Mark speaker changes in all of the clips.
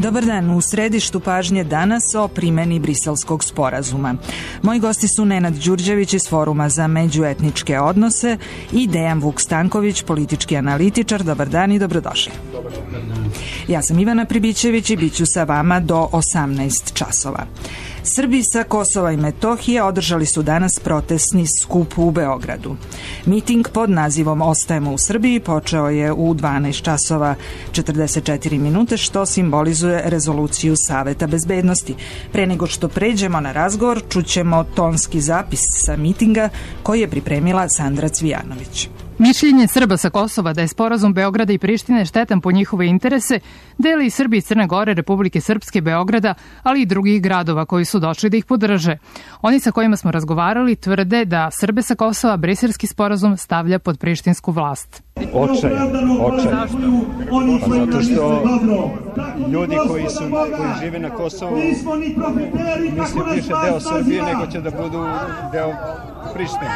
Speaker 1: Dobar dan, u središtu pažnje danas o primeni Briselskog sporazuma. Moji gosti su Nenad Đurđević iz Foruma za međuetničke odnose i Dejan Vuk Stanković, politički analitičar. Dobar dan i dobrodošli.
Speaker 2: Dobar dan.
Speaker 1: Ja sam Ivana Pribićević i bit ću sa vama do 18 časova. Srbi sa Kosova i Metohije održali su danas protestni skup u Beogradu. Miting pod nazivom Ostajemo u Srbiji počeo je u 12 časova 44 minute, što simbolizuje rezoluciju Saveta bezbednosti. Pre nego što pređemo na razgovor, čućemo tonski zapis sa mitinga koji je pripremila Sandra Cvijanović.
Speaker 3: Mišljenje Srba sa Kosova da je sporazum Beograda i Prištine štetan po njihove interese deli i Srbi iz Crne Gore, Republike Srpske, Beograda, ali i drugih gradova koji su došli da ih podrže. Oni sa kojima smo razgovarali tvrde da Srbe sa Kosova Briselski sporazum stavlja pod prištinsku vlast.
Speaker 2: Očajan. Pa zato što ljudi koji žive na Kosovu misle više deo Srbije nego će da budu deo Prištine.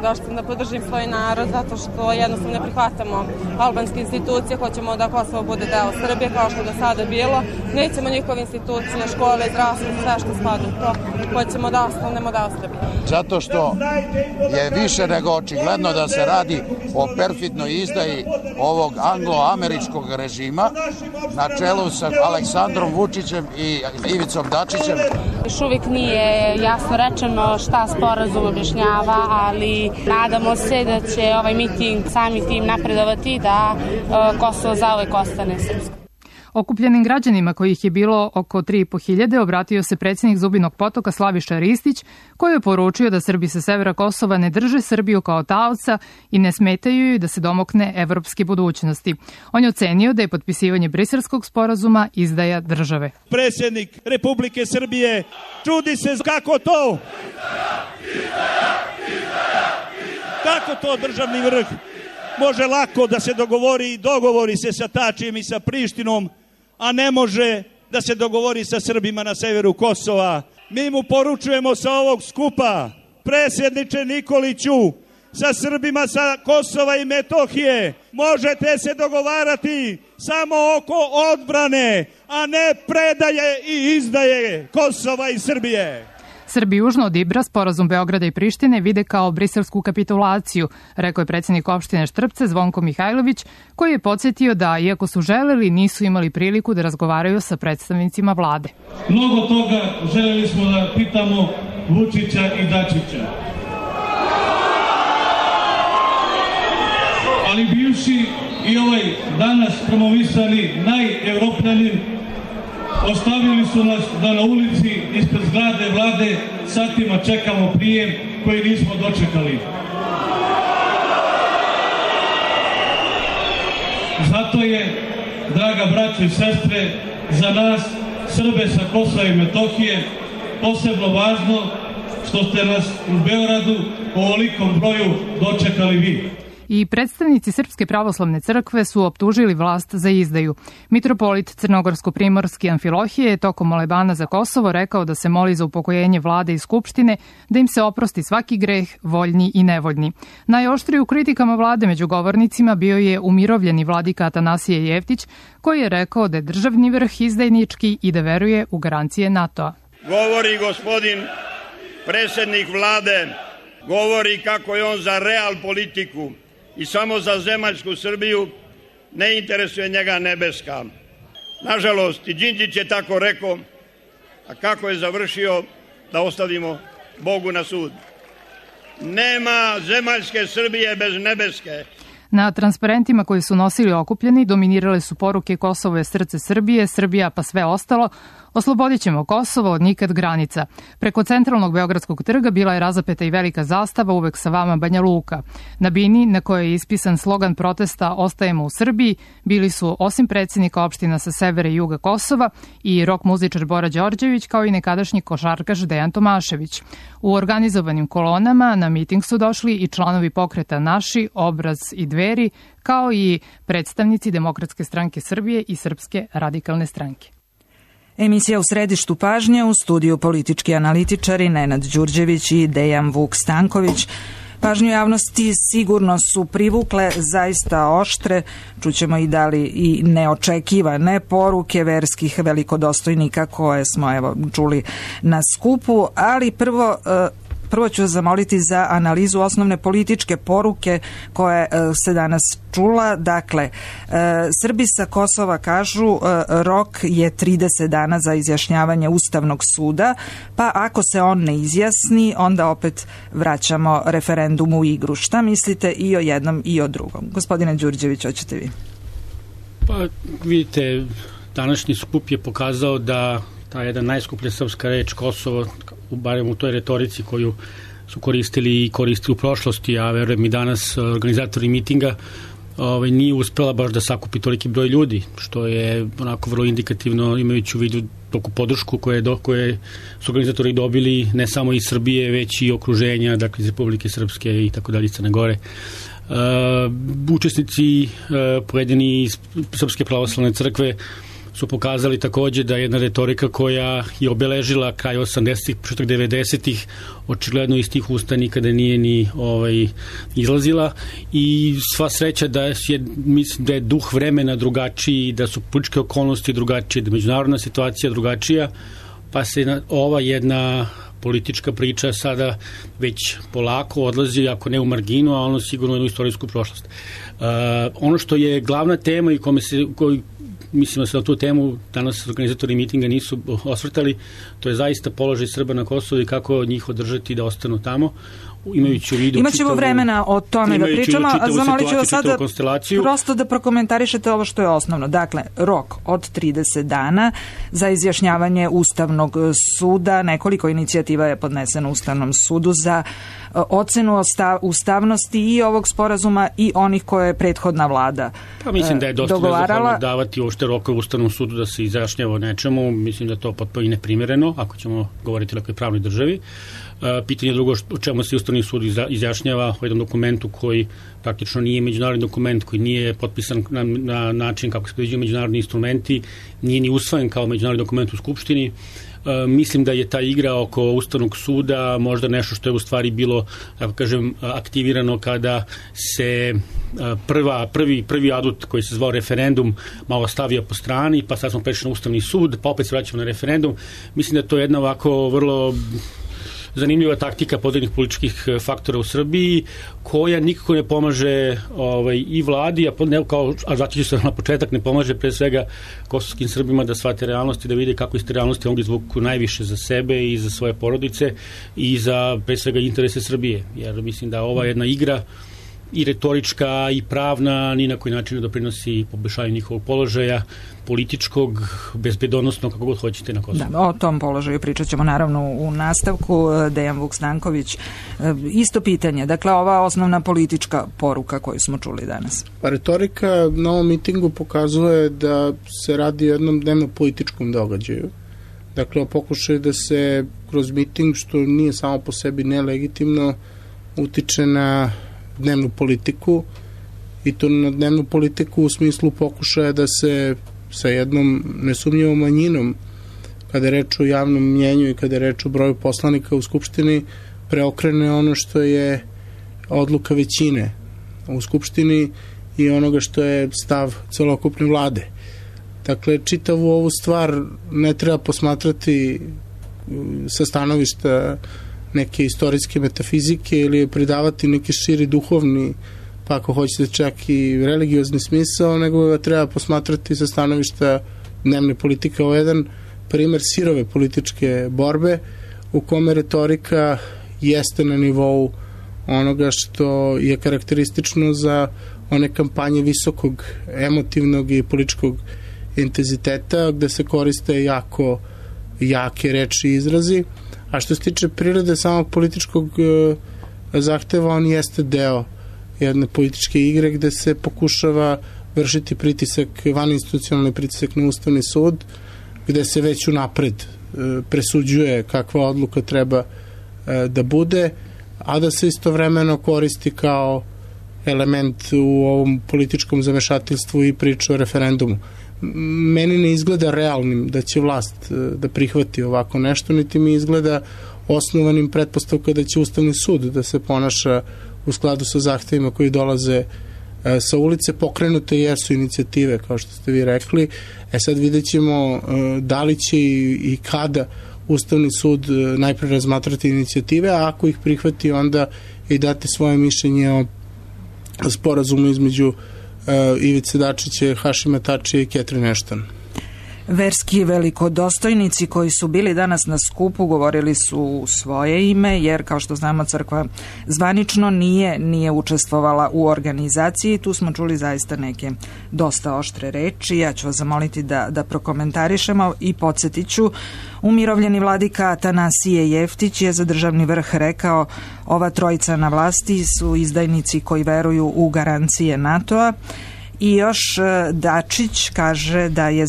Speaker 4: Došli sam da podržim svoj narod zato što jednostavno ne prihvatamo albanske institucije, hoćemo da Kosovo bude deo Srbije kao što je do sada bilo. Nećemo njihove institucije, škole, zdravstvo, sve što spada u to. Hoćemo da ostanemo deo Srbije.
Speaker 5: Zato što je više nego očigledno da se radi o perfidnoj izdaji ovog anglo-američkog režima na čelu sa Aleksandrom Vučićem i Ivicom Dačićem.
Speaker 6: Još uvijek nije jasno rečeno šta sporazum objašnjava, ali nadamo se da će ovaj miting sami tim napredovati da Kosovo zauvek ostane srpsko.
Speaker 3: Okupljenim građanima, kojih je bilo oko 3.500, obratio se predsjednik Zubinog Potoka Slaviša Ristić, koji je poručio da Srbi sa severa Kosova ne drže Srbiju kao taoca i ne smetaju joj da se domokne evropske budućnosti. On je ocenio da je potpisivanje Briselskog sporazuma izdaja države.
Speaker 7: Predsjednik Republike Srbije čudi se kako to? Kako to državni vrh može lako da se dogovori se sa Tačijem i sa Prištinom, a ne može da se dogovori sa Srbima na severu Kosova. Mi mu poručujemo sa ovog skupa, predsjedniče Nikoliću, sa Srbima sa Kosova i Metohije možete se dogovarati samo oko odbrane, a ne predaje i izdaje Kosova i Srbije.
Speaker 3: Srbi južno od Ibra sporazum Beograda i Prištine vide kao briselsku kapitulaciju, rekao je predsjednik opštine Štrpce Zvonko Mihajlović, koji je podsjetio da, iako su želeli, nisu imali priliku da razgovaraju sa predstavnicima vlade.
Speaker 8: Mnogo toga želeli smo da pitamo Vučića i Dačića. Ali bivši i ovaj danas promovisani najevropljanin ostavili su nas da na ulici ispred zgrade vlade satima čekamo prijem koji nismo dočekali. Zato je, draga braćo i sestre, za nas, Srbe sa Kosova i Metohije, posebno važno što ste nas u Beogradu u ovolikom broju dočekali vi.
Speaker 3: I predstavnici Srpske pravoslavne crkve su optužili vlast za izdaju. Mitropolit Crnogorsko-primorski Amfilohije je tokom molebana za Kosovo rekao da se moli za upokojenje vlade i skupštine, da im se oprosti svaki greh, voljni i nevoljni. Najoštriji u kritikama vlade među govornicima bio je umirovljeni vladika Atanasije Jeftić, koji je rekao da je državni vrh izdajnički i da veruje u garancije NATO-a.
Speaker 7: Govori gospodin predsjednik vlade, govori kako je on za real politiku i samo za zemaljsku Srbiju, ne interesuje njega nebeska. Nažalost, i Đinđić je tako rekao, a kako je završio, da ostavimo Bogu na sud. Nema zemaljske Srbije bez nebeske.
Speaker 3: Na transparentima koji su nosili okupljeni dominirale su poruke Kosovo je srce Srbije, Srbija pa sve ostalo, oslobodit ćemo Kosovo od nikad granica. Preko centralnog Beogradskog trga bila je razapeta i velika zastava, uvek sa vama Banja Luka. Na bini, na kojoj je ispisan slogan protesta Ostajemo u Srbiji, bili su osim predsjednika opština sa severa i juga Kosova i rok muzičar Bora Đorđević, kao i nekadašnji košarkaš Dejan Tomašević. U organizovanim kolonama na miting su došli i članovi pokreta Naši, Obraz i Dveri, kao i predstavnici Demokratske stranke Srbije i Srpske radikalne stranke.
Speaker 1: Emisija u središtu pažnje, u studiju politički analitičari Nenad Đurđević i Dejan Vuk Stanković. Pažnju javnosti sigurno su privukle zaista oštre, čućemo i da li i neočekivane poruke verskih velikodostojnika koje smo evo čuli na skupu, ali prvo ću zamoliti za analizu osnovne političke poruke koje se danas čula. Dakle, Srbi sa Kosova kažu rok je 30 dana za izjašnjavanje Ustavnog suda, pa ako se on ne izjasni, onda opet vraćamo referendum u igru. Šta mislite i o jednom i o drugom? Gospodine Đurđević, hoćete vi?
Speaker 9: Pa vidite, današnji skup je pokazao da ta jedna najskuplja srpska reč Kosovo, barem u toj retorici koju su koristili i koristili u prošlosti, a verujem i danas organizatori mitinga, nije uspela baš da sakupi toliki broj ljudi, što je onako vrlo indikativno imajući u vidu toku podršku koje su organizatori dobili ne samo iz Srbije, već i okruženja, dakle iz Republike Srpske i tako dalje, Crne Gore. Učesnici pojedini iz Srpske pravoslavne crkve su pokazali takođe da jedna retorika koja je obeležila kraj 80-ih, početak 90-ih, očigledno iz tih usta nikada nije ni izlazila i sva sreća mislim da je duh vremena drugačiji, da su političke okolnosti drugačije, da je međunarodna situacija drugačija, pa se ova jedna politička priča sada već polako odlazi, ako ne u marginu, a ono sigurno u jednu istorijsku prošlost. Ono što je glavna tema i mislim da se na tu temu danas organizatori mitinga nisu osvrtali, to je zaista položaj Srba na Kosovu i kako njih održati da ostanu tamo, imajući u vidu
Speaker 1: Imaćemo vremena o tome da pričamo, a zamolit ću vas sada prosto da prokomentarišete ovo što je osnovno. Dakle, rok od 30 dana za izjašnjavanje Ustavnog suda, nekoliko inicijativa je podneseno Ustavnom sudu za ocenu ustavnosti i ovog sporazuma i onih koje je prethodna vlada dogovarala.
Speaker 9: Pa mislim da je dosta nezahvalno davati uopšte rokove Ustavnom sudu da se izjašnjava o nečemu, mislim da je to potpuno i neprimjereno, ako ćemo govoriti o nekoj pravnoj državi. Pitanje drugo, o čemu se Ustavni sud izjašnjava o jednom dokumentu koji praktično nije međunarodni dokument, koji nije potpisan na način kako se predviđaju međunarodni instrumenti, nije ni usvojen kao međunarodni dokument u Skupštini. Mislim da je ta igra oko Ustavnog suda možda nešto što je u stvari bilo, tako kažem, aktivirano kada se prvi adut koji se zvao referendum malo stavio po strani, pa sad smo prešli na Ustavni sud, pa opet se vraćamo na referendum. Mislim da je to jedna ovako vrlo zanimljiva taktika pojedinih političkih faktora u Srbiji, koja nikako ne pomaže i vladi, a vraćajući se na početak, ne pomaže pre svega kosovskim Srbima da shvate realnosti, da vide kako iz te realnosti mogu izvuku najviše za sebe i za svoje porodice i za pre svega interese Srbije. Jer mislim da ova jedna igra i retorička i pravna ni na koji način ne doprinosi poboljšanju njihovog položaja, političkog, bezbedonosnog, kako god hoćete na Kosovu.
Speaker 1: Da, o tom položaju pričat ćemo naravno u nastavku. Dejan Vuk-Stanković, isto pitanje. Dakle, ova osnovna politička poruka koju smo čuli danas.
Speaker 10: Pa retorika na ovom mitingu pokazuje da se radi o jednom dnevno političkom događaju. Dakle, o pokušaju da se kroz miting, što nije samo po sebi nelegitimno, utiče na dnevnu politiku i to na dnevnu politiku u smislu pokušaja da se sa jednom nesumnjivom manjinom, kada je reč o javnom mnjenju i kada je reč o broju poslanika u Skupštini, preokrene ono što je odluka većine u Skupštini i onoga što je stav celokupne vlade. Dakle, čitavu ovu stvar ne treba posmatrati sa stanovišta neke istorijske metafizike ili pridavati neki širi duhovni, pa ako hoćete čak i religiozni smisao, nego ga treba posmatrati sa stanovišta dnevne politike. Ovo je jedan primer sirove političke borbe u kome retorika jeste na nivou onoga što je karakteristično za one kampanje visokog emotivnog i političkog intenziteta, gde se koriste jako jake reči i izrazi. A što se tiče prirode samog političkog zahteva, on jeste deo jedne političke igre gde se pokušava vršiti pritisak, vaninstitucionalni pritisak na Ustavni sud, gde se već unapred presuđuje kakva odluka treba da bude, a da se istovremeno koristi kao element u ovom političkom zamešateljstvu i priču o referendumu. Meni ne izgleda realnim da će vlast da prihvati ovako nešto, niti mi izgleda osnovanim pretpostavka da će Ustavni sud da se ponaša u skladu sa zahtevima koji dolaze sa ulice. Pokrenute jesu inicijative, kao što ste vi rekli. Sad vidjet ćemo da li će i kada Ustavni sud najpre razmatrati inicijative, a ako ih prihvati, onda i dati svoje mišljenje o sporazumu između Ivice Dačića, Hašima Tačija i Catherine Ashton.
Speaker 1: Verski velikodostojnici koji su bili danas na skupu govorili su u svoje ime, jer kao što znamo crkva zvanično nije učestvovala u organizaciji. Tu smo čuli zaista neke dosta oštre reči. Ja ću vas zamoliti da prokomentarišemo i podsjetit ću. Umirovljeni vladika Atanasije Jeftić je za državni vrh rekao: ova trojica na vlasti su izdajnici koji veruju u garancije NATO-a. I još Dačić kaže da je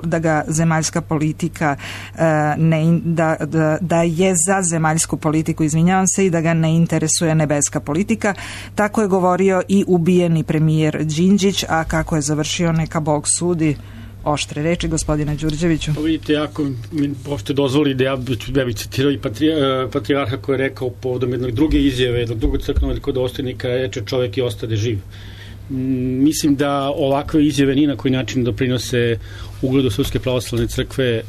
Speaker 1: da ga zemaljska politika da je za zemaljsku politiku, izvinjavam se, i da ga ne interesuje nebeska politika. Tako je govorio i ubijeni premijer Đinđić, a kako je završio neka Bog sudi. Oštre reči, gospodine Đurđeviću.
Speaker 9: Vidite, ako mi pošto dozvoli da ja bih citirao i patrijarha koji je rekao povodom jednog druge izjave, jednog drugog crkvenog velikodostojnika, reče: čovek i ostade živ. Mislim da ovakve izjave ni na koji način doprinose ugledu Srpske pravoslavne crkve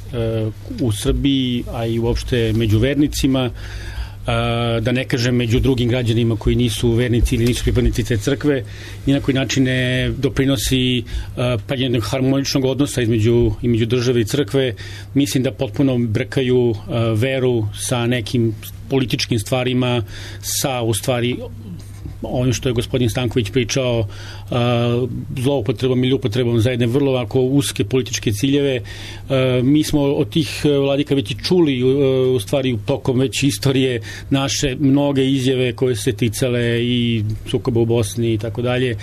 Speaker 9: u Srbiji, a i uopšte među vernicima, da ne kažem među drugim građanima koji nisu vernici ili nisu pripadnici te crkve, ni na koji način ne doprinosi jednog harmoničnog odnosa između države i crkve. Mislim da potpuno brkaju veru sa nekim političkim stvarima, sa u stvari ovim što je gospodin Stanković pričao, zloupotrebom ili upotrebom za jedne vrlo ovako uske političke ciljeve. Mi smo od tih vladika već i čuli u stvari tokom već istorije naše mnoge izjave koje se ticale i sukoba u Bosni i tako dalje.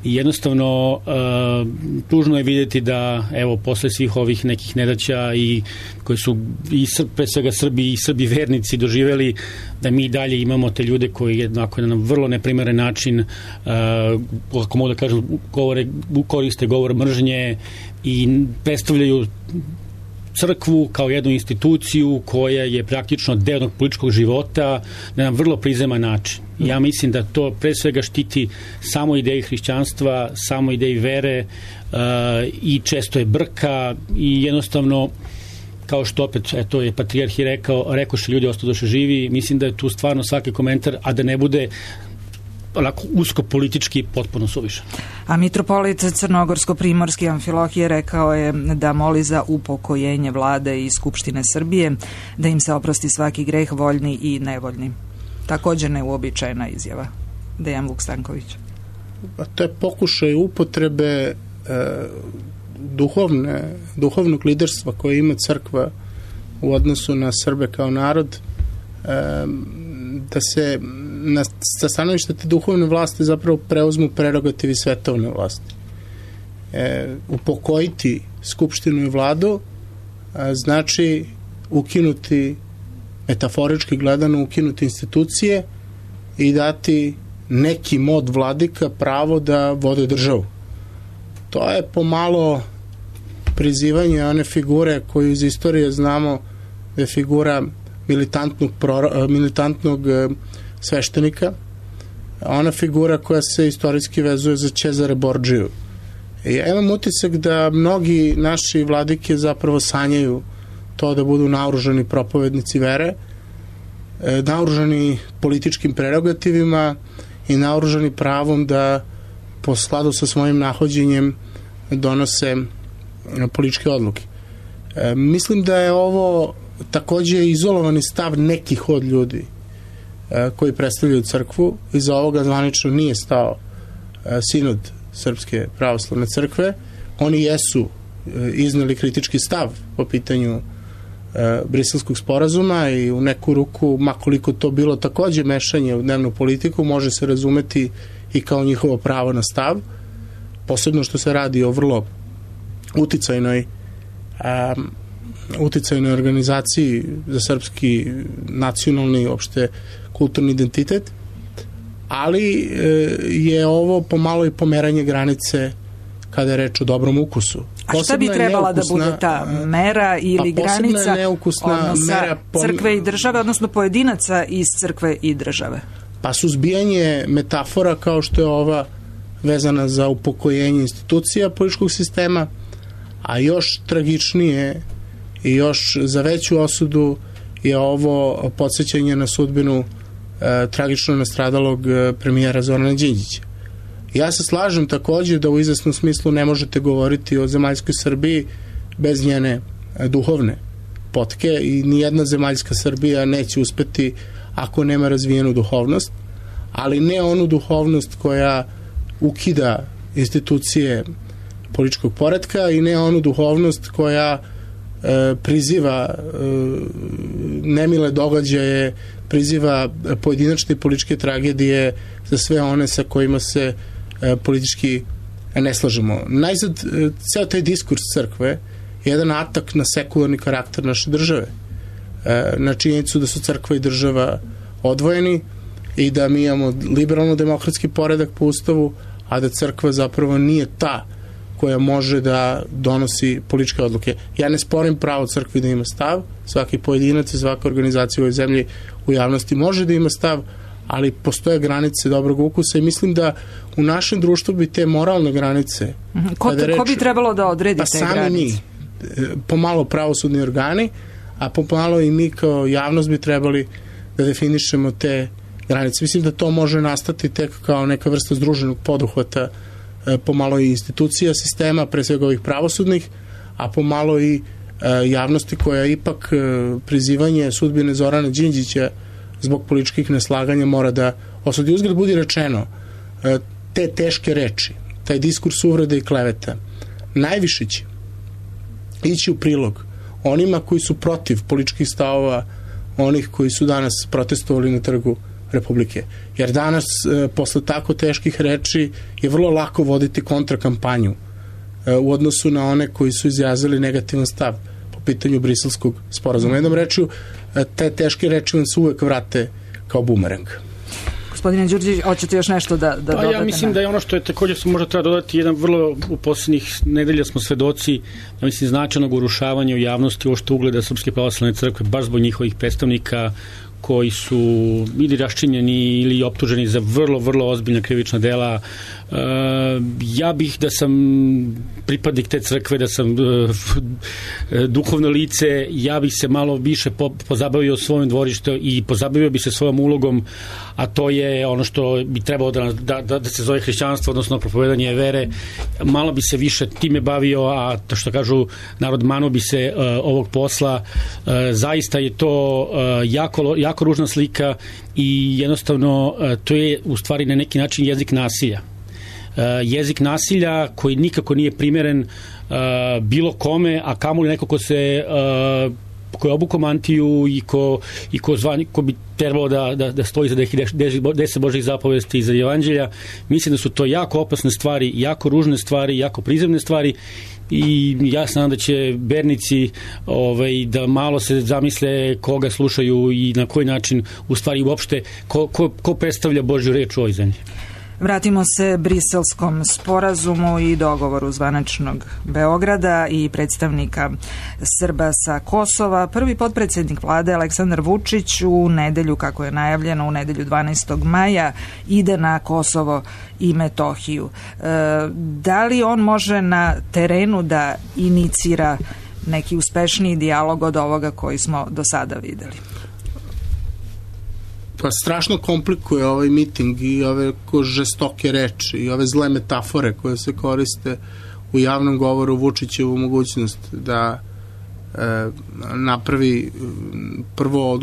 Speaker 9: I jednostavno tužno je vidjeti da evo posle svih ovih nekih nedaća i koji su i pre svega Srbi i Srbi vernici doživeli, da mi dalje imamo te ljude koji jednako na vrlo neprimeren način, ako mogu da kažem, koriste govor mržnje i predstavljaju crkvu kao jednu instituciju koja je praktično deo jednog političkog života na jedan vrlo prizeman način. Ja mislim da to pre svega štiti samo ideji hrišćanstva, samo ideji vere i često je brka i jednostavno, kao što opet eto je patrijarh i rekoše ljudi ostadoše živi. Mislim da je tu stvarno svaki komentar, a da ne bude onako usko politički potpuno suvišan.
Speaker 1: A mitropolit Crnogorsko-primorski Amfilohije rekao je da moli za upokojenje vlade i Skupštine Srbije, da im se oprosti svaki greh, voljni i nevoljni. Također neuobičajena izjava. Dejan Vuk Stanković.
Speaker 10: To je pokušaj upotrebe duhovnog liderstva koje ima crkva u odnosu na Srbe kao narod, da se sa stanovišta te duhovne vlasti zapravo preuzmu prerogativi svetovne vlasti. Upokojiti Skupštinu i vladu znači ukinuti, metaforički gledano, ukinuti institucije i dati nekim od vladika pravo da vode državu. To je pomalo prizivanje one figure koju iz istorije znamo da je figura militantnog sveštenika, ona figura koja se istorijski vezuje za Cezare Borđiju. Ja imam utisak da mnogi naši vladike zapravo sanjaju to da budu naoružani propovednici vere, naoružani političkim prerogativima i naoružani pravom da po skladu sa svojim nahođenjem donose političke odluke. Mislim da je ovo takođe izolovani stav nekih od ljudi koji predstavljaju crkvu. Iza ovoga zvanično nije stao sinod Srpske pravoslavne crkve. Oni jesu izneli kritički stav po pitanju Briselskog sporazuma i u neku ruku, makoliko to bilo takođe mešanje u dnevnu politiku, može se razumeti i kao njihovo pravo na stav, posebno što se radi o vrlo uticajnoj organizaciji za srpski nacionalni uopšte kulturni identitet, ali je ovo pomalo i pomeranje granice kada je reč o dobrom ukusu.
Speaker 1: A šta bi trebala da bude ta mera ili granica odnosa crkve i države, odnosno pojedinaca iz crkve i države?
Speaker 10: pa suzbijanje metafora kao što je ova vezana za upokojenje institucija političkog sistema, a još tragičnije i još za veću osudu je ovo podsjećanje na sudbinu tragično nastradalog premijera Zorana Đinđića. Ja se slažem takođe da u izvesnom smislu ne možete govoriti o zemaljskoj Srbiji bez njene duhovne potke i nijedna zemaljska Srbija neće uspeti ako nema razvijenu duhovnost, ali ne onu duhovnost koja ukida institucije političkog poretka i ne onu duhovnost koja priziva nemile događaje, priziva pojedinačne političke tragedije za sve one sa kojima se politički ne slažemo. Najzad, ceo taj diskurs crkve je jedan atak na sekularni karakter naše države, na činjenicu da su crkva i država odvojeni i da mi imamo liberalno-demokratski poredak po ustavu, a da crkva zapravo nije ta koja može da donosi političke odluke. Ja ne sporim pravo crkvi da ima stav, svaki pojedinac i svaka organizacija u ovoj zemlji u javnosti može da ima stav, ali postoje granice dobrog ukusa i mislim da u našem društvu bi te moralne granice...
Speaker 1: Ko bi trebalo da odredi te granice? Pa sami mi,
Speaker 10: pomalo pravosudni organi, a pomalo i mi kao javnost bi trebali da definišemo te granice. Mislim da to može nastati tek kao neka vrsta združenog poduhvata pomalo i institucija sistema, pre svega ovih pravosudnih, a pomalo i javnosti koja ipak prizivanje sudbine Zorana Đinđića zbog političkih neslaganja mora da osudi. Uzgled budi rečeno, te teške reči, taj diskurs uvrede i kleveta, najviše će ići u prilog onima koji su protiv političkih stavova onih koji su danas protestovali na Trgu Republike. Jer danas, posle tako teških reči, je vrlo lako voditi kontrakampanju u odnosu na one koji su izjazili negativan stav po pitanju Briselskog sporazuma. Jednom rečju, te teške reči vam se uvek vrate kao bumerang.
Speaker 1: Gospodine Đurđević, hoćete još nešto da dodate?
Speaker 9: Ja mislim da je ono što je također možda treba dodati jedan vrlo u posljednjih nedelja smo svedoci značajnog urušavanja u javnosti uopšte ugleda Srpske pravoslavne crkve baš zbog njihovih predstavnika koji su ili raščinjeni ili optuženi za vrlo, vrlo ozbiljna krivična dela. Ja bih da sam pripadnik te crkve, da sam duhovno lice, ja bih se malo više pozabavio svojom dvorištem i pozabavio bi se svojom ulogom, a to je ono što bi trebalo da se zove hrišćanstvo, odnosno propovedanje vere. Malo bi se više time bavio, a to što kažu narod, mano bi se ovog posla. Zaista je to jako ružna slika i jednostavno to je u stvari na neki način jezik nasilja. Jezik nasilja koji nikako nije primeren bilo kome, a kamoli neko ko je obuko mantiju i ko bi trebalo da stoji za 10 Božih zapovesti i za evanđelja. Mislim da su to jako opasne stvari, jako ružne stvari, jako prizemne stvari i ja se nadam da će vernici da malo se zamisle koga slušaju i na koji način u stvari uopšte ko predstavlja Božju reč u ovoj zemlji.
Speaker 1: Vratimo se Briselskom sporazumu i dogovoru zvaničnog Beograda i predstavnika Srba sa Kosova. Prvi potpredsednik vlade Aleksandar Vučić u nedelju, kako je najavljeno, u nedelju 12. maja ide na Kosovo i Metohiju. Da li on može na terenu da inicira neki uspešniji dijalog od ovoga koji smo do sada videli?
Speaker 10: Pa strašno komplikuje ovaj miting i ove žestoke reči i ove zle metafore koje se koriste u javnom govoru Vučićevu mogućnost da napravi prvo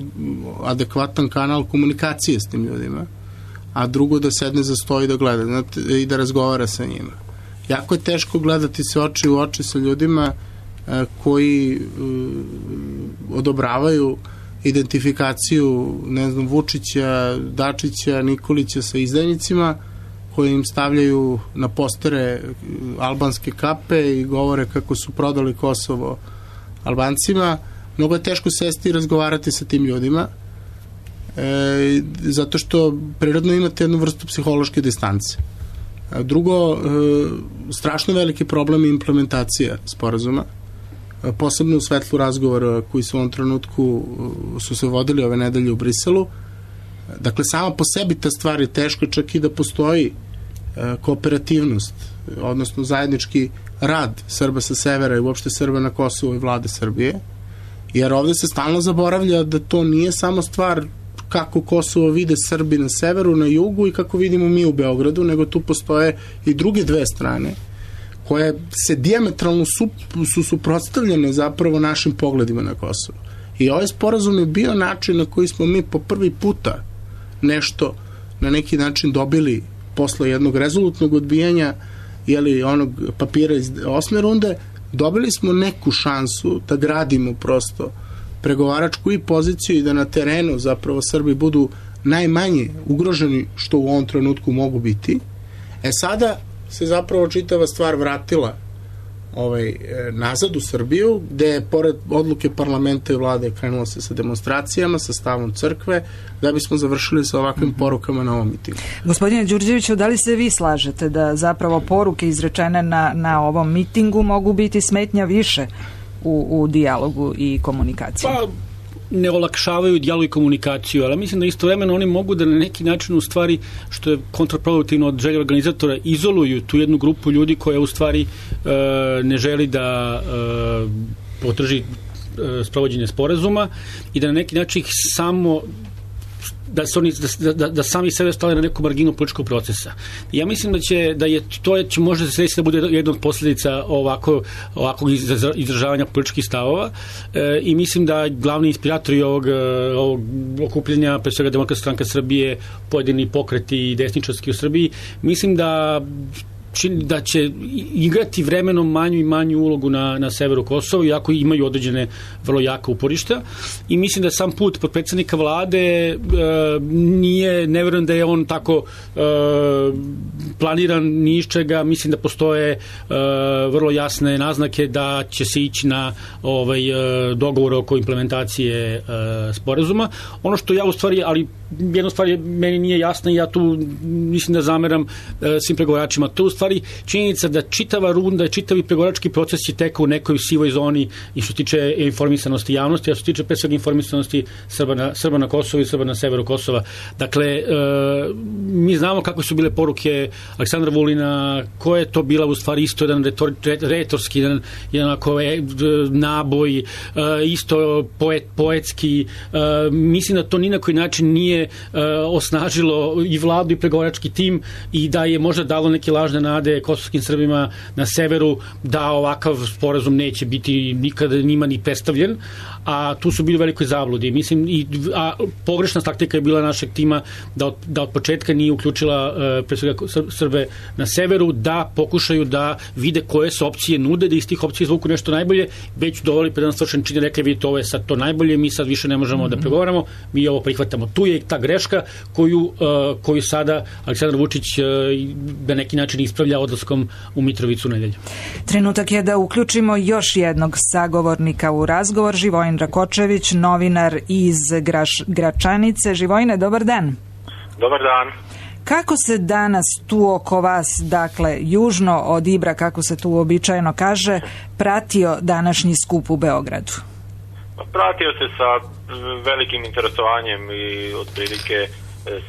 Speaker 10: adekvatan kanal komunikacije s tim ljudima, a drugo da sedne za sto i da gleda i da razgovara sa njima. Jako je teško gledati se oči u oči sa ljudima koji odobravaju identifikaciju, Vučića, Dačića, Nikolića sa izdajnicima koji im stavljaju na postere albanske kape i govore kako su prodali Kosovo Albancima. Mnogo je teško sesti i razgovarati sa tim ljudima zato što prirodno imate jednu vrstu psihološke distance. Drugo, strašno veliki problem je implementacija sporazuma, posebno u svetlu razgovora koji su u ovom trenutku su se vodili ove nedelje u Briselu, Dakle, sama po sebi ta stvar je teška, čak i da postoji kooperativnost, odnosno zajednički rad Srba sa severa i uopšte Srba na Kosovu i vlade Srbije, jer ovde se stalno zaboravlja da to nije samo stvar kako Kosovo vide Srbi na severu, na jugu i kako vidimo mi u Beogradu, nego tu postoje i druge dve strane koje se dijametralno su suprotstavljene zapravo našim pogledima na Kosovo. I ovaj sporazum je bio način na koji smo mi po prvi puta nešto na neki način dobili posle jednog rezolutnog odbijanja onog papira iz 8. runde, dobili smo neku šansu da gradimo prosto pregovaračku i poziciju i da na terenu zapravo Srbi budu najmanje ugroženi što u ovom trenutku mogu biti. Sada se zapravo čitava stvar vratila nazad u Srbiju, gde je pored odluke parlamenta i vlade krenulo se sa demonstracijama, sa stavom crkve, da bismo završili sa ovakvim porukama na ovom mitingu.
Speaker 1: Gospodine Đurđeviću, da li se vi slažete da zapravo poruke izrečene na ovom mitingu mogu biti smetnja više u dijalogu i komunikaciji?
Speaker 9: Pa, ne olakšavaju dijalog i komunikaciju, ali mislim da istovremeno oni mogu da na neki način u stvari, što je kontraproduktivno od želje organizatora, izoluju tu jednu grupu ljudi koja u stvari ne želi da podrži sprovođenje sporazuma i da na neki način ih samo da sami sebe stave na neku marginu političkog procesa. Ja mislim da će možda se desiti da bude jedna od posljedica ovakvog izražavanja političkih stavova i mislim da glavni inspiratori ovog okupljanja, pre svega Demokratska stranka Srbije, pojedini pokreti desničarski u Srbiji, mislim da će igrati vremenom manju i manju ulogu na severu Kosova, iako imaju određene vrlo jaka uporišta. I mislim da sam put potpredsednika vlade ne verujem da je on tako planiran ni iz čega. Mislim da postoje vrlo jasne naznake da će se ići na dogovor oko implementacije sporazuma. Ono što ja u stvari, ali jedna stvar meni nije jasna i ja tu mislim da zameram svim pregovaračima. To je u stvari činjenica da čitava runda, čitavi pregovarački proces je tekao u nekoj sivoj zoni i što se tiče informisanosti javnosti, a što se tiče pre svega informisanosti Srba na Kosovu i Srba na severu Kosova. Dakle, mi znamo kako su bile poruke Aleksandra Vulina, koja je to bila u stvari isto jedan retorski, jedan naboj, isto poetski. Mislim da to ni na koji način nije osnažilo i vladu i pregovarački tim i da je možda dalo neke lažne nade kosovskim Srbima na severu da ovakav sporazum neće biti nikada njima ni predstavljen, a tu su bili u velikoj zabludi. Mislim, a pogrešna taktika je bila našeg tima da od početka nije uključila pre svega Srbe na severu, da pokušaju da vide koje se opcije nude, da iz tih opcija izvuku nešto najbolje, već dovoli pred nas svršen čini, rekli vidite ovo je sad to najbolje, mi sad više ne možemo da pregovaramo, mi ovo prihvatamo. Tu je ta greška koju sada Aleksandar Vučić na neki način ispravlja odlaskom u Mitrovicu u nedelju.
Speaker 1: Trenutak je da uključimo još jednog sagovornika u razgovor, Živojin Rakočević, novinar iz Gračanice. Živojine, dobar dan.
Speaker 11: Dobar dan.
Speaker 1: Kako se danas tu oko vas, dakle, južno od Ibra, kako se tu uobičajeno kaže, pratio današnji skup u Beogradu?
Speaker 11: Pratio se sa velikim interesovanjem i otprilike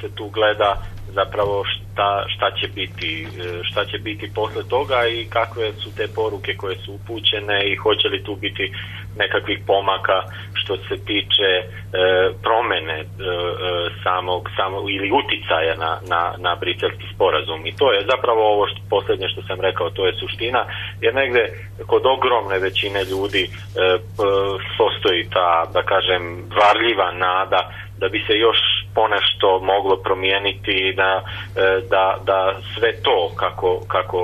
Speaker 11: se tu gleda zapravo šta će biti posle toga i kakve su te poruke koje su upućene i hoće li tu biti nekakvih pomaka što se tiče promene samog ili uticaja na briselski sporazum. I to je zapravo ovo posljednje što sam rekao, to je suština, jer negde kod ogromne većine ljudi postoji ta, da kažem, varljiva nada da bi se još ponešto moglo promijeniti, da sve to kako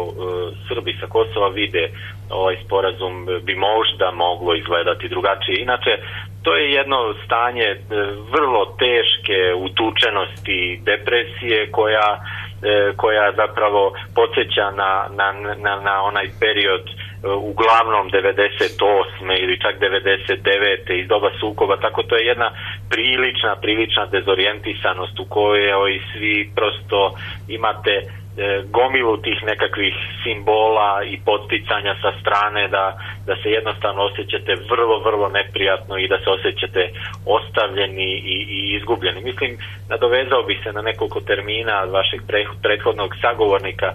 Speaker 11: Srbi sa Kosova vide ovaj sporazum bi možda moglo izgledati drugačije. Inače, to je jedno stanje vrlo teške utučenosti, depresije koja zapravo podsjeća na onaj period uglavnom 98. ili čak 99. iz doba sukoba, tako to je jedna prilična dezorijentisanost u kojoj svi prosto imate gomilu tih nekakvih simbola i podsticanja sa strane da se jednostavno osjećate vrlo, vrlo neprijatno i da se osjećate ostavljeni i izgubljeni. Mislim, nadovezao bih se na nekoliko termina vašeg prethodnog sagovornika.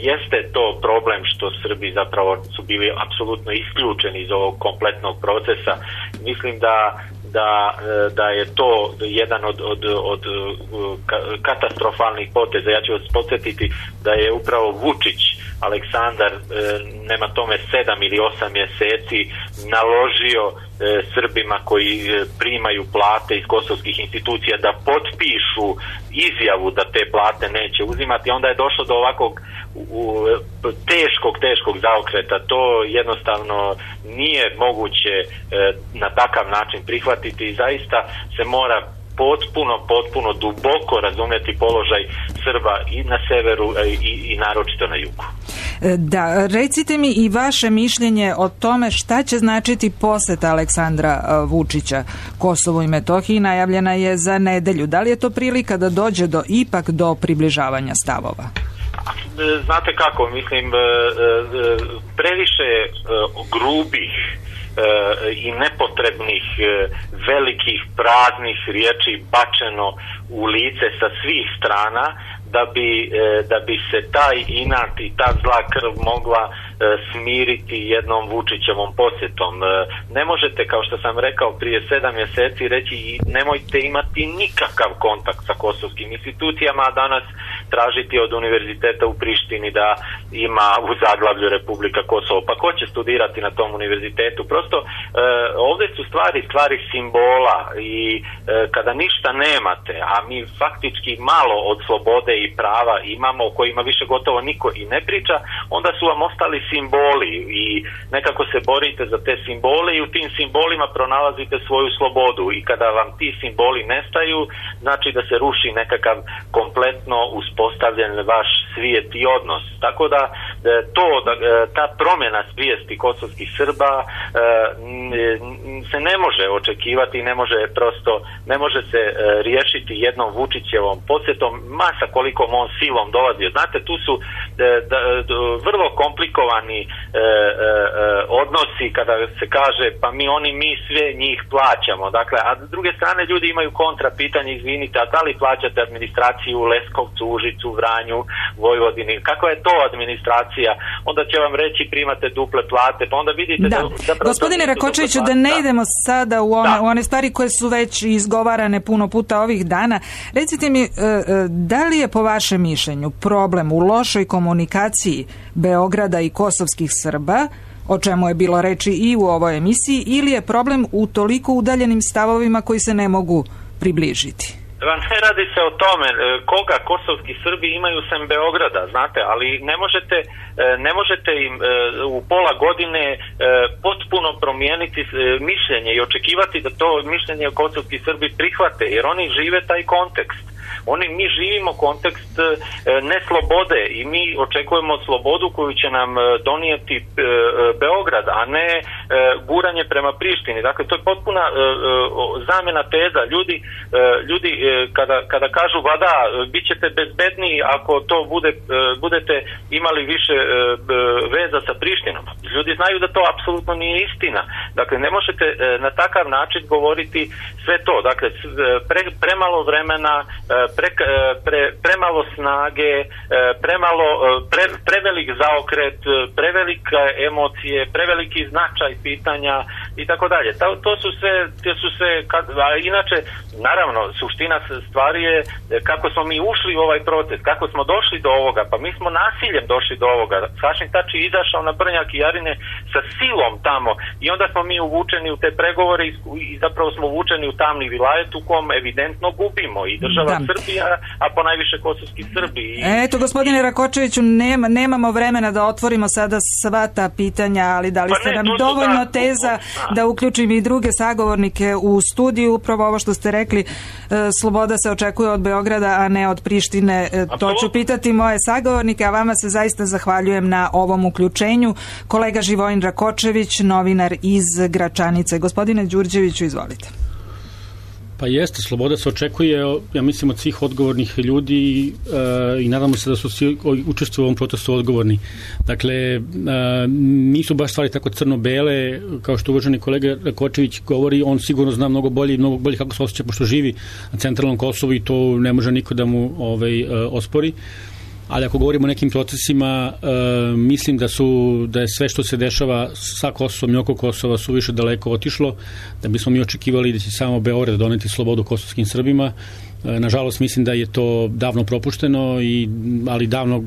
Speaker 11: Jeste to problem što Srbi zapravo su bili apsolutno isključeni iz ovog kompletnog procesa. Mislim da je to jedan od katastrofalnih poteza. Ja ću vas podsjetiti da je upravo Vučić Aleksandar nema tome 7 ili 8 mjeseci naložio Srbima koji primaju plate iz kosovskih institucija da potpišu izjavu da te plate neće uzimati. Onda je došlo do ovakvog teškog zaokreta. To jednostavno nije moguće na takav način prihvatiti i zaista se mora potpuno duboko razumjeti položaj Srba i na severu i naročito na jugu.
Speaker 1: Da, recite mi i vaše mišljenje o tome šta će značiti poseta Aleksandra Vučića Kosovu i Metohiji, najavljena je za nedelju. Da li je to prilika da dođe ipak do približavanja stavova?
Speaker 11: Znate kako, mislim, previše grubih i nepotrebnih velikih praznih riječi bačeno u lice sa svih strana da bi se taj inat i ta zla krv mogla smiriti jednom Vučićevom posjetom. Ne možete, kao što sam rekao prije 7 mjeseci, reći nemojte imati nikakav kontakt sa kosovskim institucijama, a danas tražiti od univerziteta u Prištini da ima u zaglavlju Republika Kosovo. Pa ko će studirati na tom univerzitetu? Prosto ovdje su stvari simbola i kada ništa nemate, a mi faktički malo od slobode i prava imamo, o kojima više gotovo niko i ne priča, onda su vam ostali simboli i nekako se borite za te simbole i u tim simbolima pronalazite svoju slobodu i kada vam ti simboli nestaju, znači da se ruši nekakav kompletno uspostavljen vaš svijet i odnos. Tako da ta promjena svijesti kosovskih Srba se ne može očekivati, ne može se riješiti jednom Vučićevom posjetom, masa kolikom on silom dolazio. Znate, tu su vrlo komplikovani odnosi kada se kaže pa mi sve njih plaćamo. Dakle, a s druge strane ljudi imaju kontra pitanje, izvinite, a da li plaćate administraciju u Leskovcu, Užicu, Vranju, Vojvodini? Kakva je to administracija? Onda će vam reći primate duple plate, pa onda vidite da
Speaker 1: gospodine Rakočeviću, da ne idemo sada u one stvari koje su već izgovarane puno puta ovih dana. Recite mi, da li je po vašem mišljenju problem u lošoj komunikaciji Beograda i kosovskih Srba, o čemu je bilo reči i u ovoj emisiji, ili je problem u toliko udaljenim stavovima koji se ne mogu približiti?
Speaker 11: Ne radi se o tome koga kosovski Srbi imaju sem Beograda, znate, ali ne možete im u pola godine potpuno promijeniti mišljenje i očekivati da to mišljenje kosovski Srbi prihvate, jer oni žive taj kontekst. Mi živimo kontekst neslobode i mi očekujemo slobodu koju će nam donijeti Beograd, a ne guranje prema Prištini. Dakle, to je potpuna zamjena teza. Ljudi kada kažu da bit ćete bezbedniji ako to budete imali više veza sa Prištinom. Ljudi znaju da to apsolutno nije istina. Dakle, ne možete na takav način govoriti sve to. Dakle, premalo vremena, premalo snage, prevelik zaokret, prevelike emocije, preveliki značaj pitanja i tako dalje. To su sve, inače, naravno, suština stvari je kako smo mi ušli u ovaj proces, kako smo došli do ovoga, pa mi smo nasiljem došli do ovoga. Hašim Tači je izašao na Brnjak i Jarine sa silom tamo i onda smo mi uvučeni u te pregovore i zapravo smo uvučeni u tamni vilajet u kom evidentno gubimo i država Srbija, a ponajviše kosovski Srbi.
Speaker 1: Eto, gospodine Rakočeviću, nemamo vremena da otvorimo sada sva ta pitanja, ali dali ste nam dovoljno teza da uključim i druge sagovornike u studiju. Upravo ovo što ste rekli, sloboda se očekuje od Beograda, a ne od Prištine. To ću pitati moje sagovornike, a vama se zaista zahvaljujem na ovom uključenju. Kolega Živojin Rakočević, novinar iz Gračanice. Gospodine Đurđeviću, izvolite.
Speaker 9: Pa jeste, sloboda se očekuje, ja mislim, od svih odgovornih ljudi i nadamo se da su svi učestvuju u ovom protestu odgovorni. Dakle, nisu baš stvari tako crno-bele, kao što uvaženi kolega Rakočević govori, on sigurno zna mnogo bolje kako se osjeća pošto živi na centralnom Kosovu i to ne može niko da mu ospori. Ali ako govorimo o nekim procesima, mislim da je sve što se dešava sa Kosovom i oko Kosova su više daleko otišlo, da bismo mi očekivali da će samo Beograd doneti slobodu kosovskim Srbima. Nažalost, mislim da je to davno propušteno, ali davno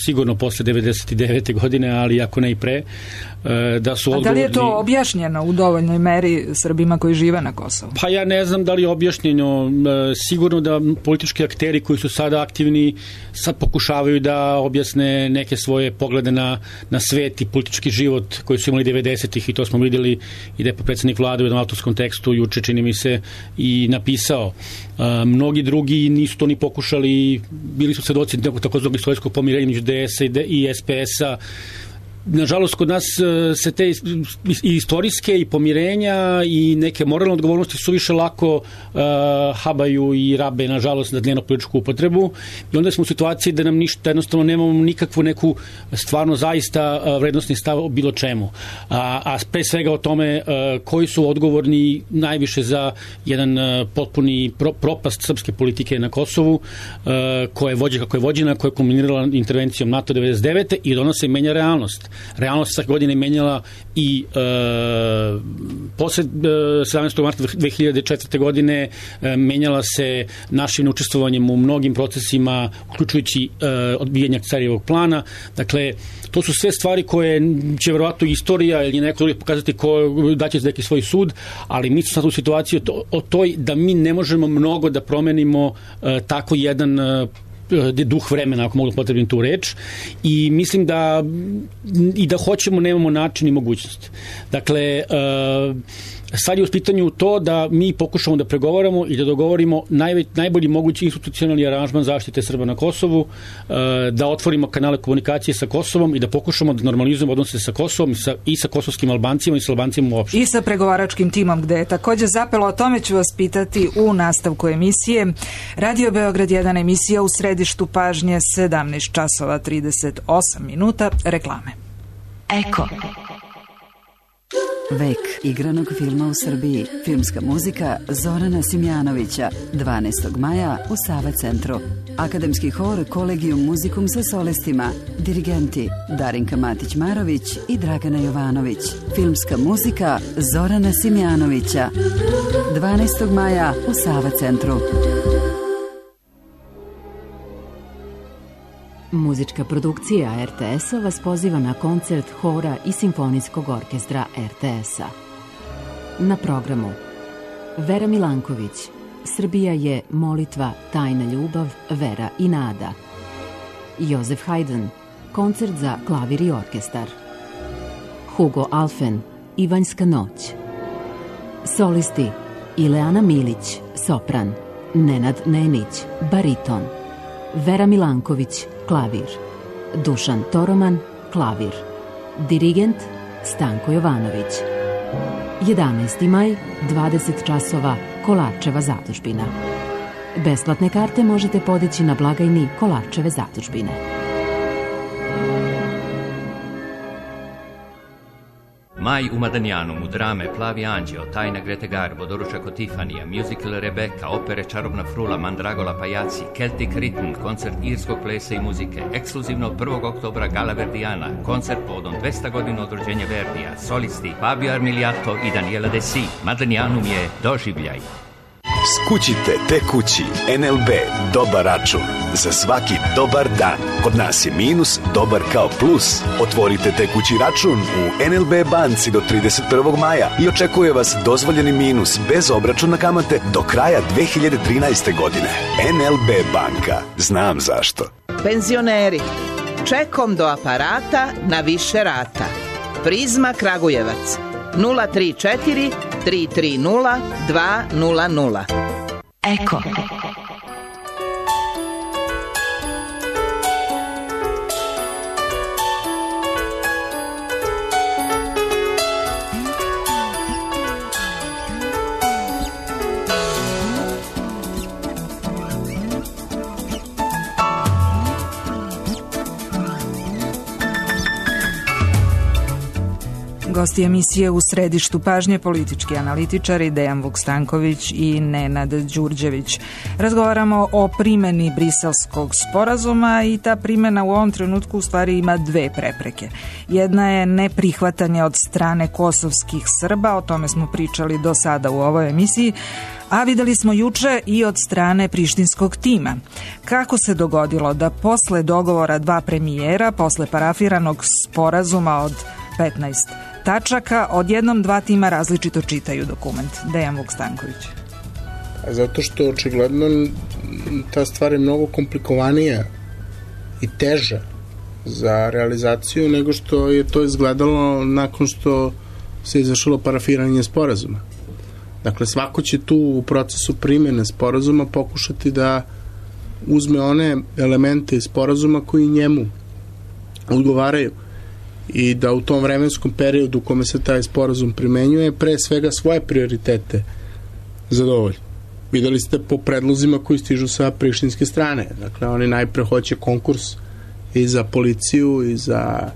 Speaker 9: sigurno posle 99. godine, ali ako ne i pre, da su odgovorni... A da li je to objašnjeno u dovoljnoj meri Srbima koji žive na Kosovu? Pa ja ne znam da li je objašnjeno. Sigurno da politički akteri koji su sada aktivni sad pokušavaju da objasne neke svoje poglede na svet i politički život koji su imali 90-ih i to smo videli i da je predsjednik vlade u jednom autorskom tekstu juče, čini mi se, i napisao. Mnogi drugi nisu to ni pokušali, bili su svedoci nekog takozvanog istorijskog pomirenja među DS-a i SPS-a. Nažalost, kod nas se te i istorijske i pomirenja i neke moralne odgovornosti su više lako habaju i rabe, nažalost, na dnevno političku upotrebu i onda smo u situaciji da nam ništa, jednostavno nemamo nikakvu neku stvarno zaista vrednostni stav o bilo čemu. A pre svega o tome koji su odgovorni najviše za jedan potpuni propast srpske politike na Kosovu, koja je vođena kako je vođena, koja je kulminirala intervencijom NATO 99. i od ona se menja realnost. Realnost svake godine menjala i posle 17. marta 2004. godine menjala se našim učestvovanjem u mnogim procesima, uključujući odbijanje Carijevog plana. Dakle, to su sve stvari koje će verovatno istorija ili neko drugi pokazati da će neki svoj sud, ali mi smo sad u situaciji o toj da mi ne možemo mnogo da promenimo tako jedan duh vremena, ako mogu potrebim tu reč, i mislim da i da hoćemo, nemamo način i mogućnost. Dakle, sad je u pitanju to da mi pokušamo da pregovaramo i da dogovorimo najbolji mogući institucionalni aranžman zaštite Srba na Kosovu, da otvorimo kanale komunikacije sa Kosovom i da pokušamo da normalizujemo odnose sa Kosovom i sa kosovskim Albancima i sa Albancima uopšte. I sa pregovaračkim timom, gde je takođe zapelo, o tome ću vas pitati u nastavku emisije. Radio Beograd 1, emisija u središtu pažnje, 17 časova 38 minuta, reklame.
Speaker 12: Eko. Vek igranog filma u Srbiji. Filmska muzika Zorana Simjanovića. 12. maja u Sava centru. Akademski hor Kolegium muzikum sa solistima. Dirigenti Darinka Matić-Marović i Dragana Jovanović. Filmska muzika Zorana Simjanovića. 12. maja u Sava centru. Muzička produkcija RTS-a vas poziva na koncert hora i simfonijskog orkestra RTS-a. Na programu Vera Milanković, Srbija je molitva, tajna ljubav, vera i nada. Jozef Haydn, koncert za klavir i orkestar. Hugo Alfen, Ivanjska noć. Solisti Ileana Milić, sopran. Nenad Nenić, bariton. Vera Milanković, klavir. Dušan Toroman, klavir. Dirigent Stanko Jovanović. 11. maj, 20 časova, Kolarčeva zadužbina. Besplatne karte možete podići na blagajni Kolarčeve zadužbine.
Speaker 13: Maj u Madanjanu, drame Plavi anđeo, Tajna Grete Garbo, Doručak od Tifanija, musical Rebeka, opere Čarobna frula, Mandragola pajaci, Celtic Rhythm, koncert irskog plesa i muzike, ekskluzivno 1. oktobra Gala Verdijana, koncert povodom 200 godina od rođenja Verdija, solisti Fabio Armiliato i Daniela Desi. Madanjanum je doživljaj.
Speaker 14: Skućite tekući NLB dobar račun za svaki dobar dan. Kod nas je minus dobar kao plus. Otvorite tekući račun u NLB banci do 31. maja i očekuje vas dozvoljeni minus bez obračuna kamate do kraja 2013. godine. NLB banka. Znam zašto.
Speaker 15: Penzioneri, čekom do aparata na više rata. Prizma Kragujevac 034 330 200.
Speaker 12: Eko.
Speaker 1: Gosti emisije U središtu pažnje politički analitičari Dejan Vukstanković i Nenad Đurđević. Razgovaramo o primjeni Briselskog sporazuma i ta primjena u ovom trenutku u stvari ima dve prepreke. Jedna je neprihvatanje od strane kosovskih Srba, o tome smo pričali do sada u ovoj emisiji, a videli smo juče i od strane prištinskog tima. Kako se dogodilo da posle dogovora dva premijera, posle parafiranog sporazuma od 15 tačaka, odjednom dva tima različito čitaju dokument? Dejan Vukstanković.
Speaker 10: Zato što očigledno ta stvar je mnogo komplikovanija i teža za realizaciju nego što je to izgledalo nakon što se izvršilo parafiranje sporazuma. Dakle, svako će tu u procesu primjene sporazuma pokušati da uzme one elemente iz sporazuma koji njemu odgovaraju i da u tom vremenskom periodu u kome se taj sporazum primenjuje pre svega svoje prioritete zadovolji. Videli ste po predlozima koji stižu sa prištinske strane. Dakle, oni najpre hoće konkurs i za policiju i za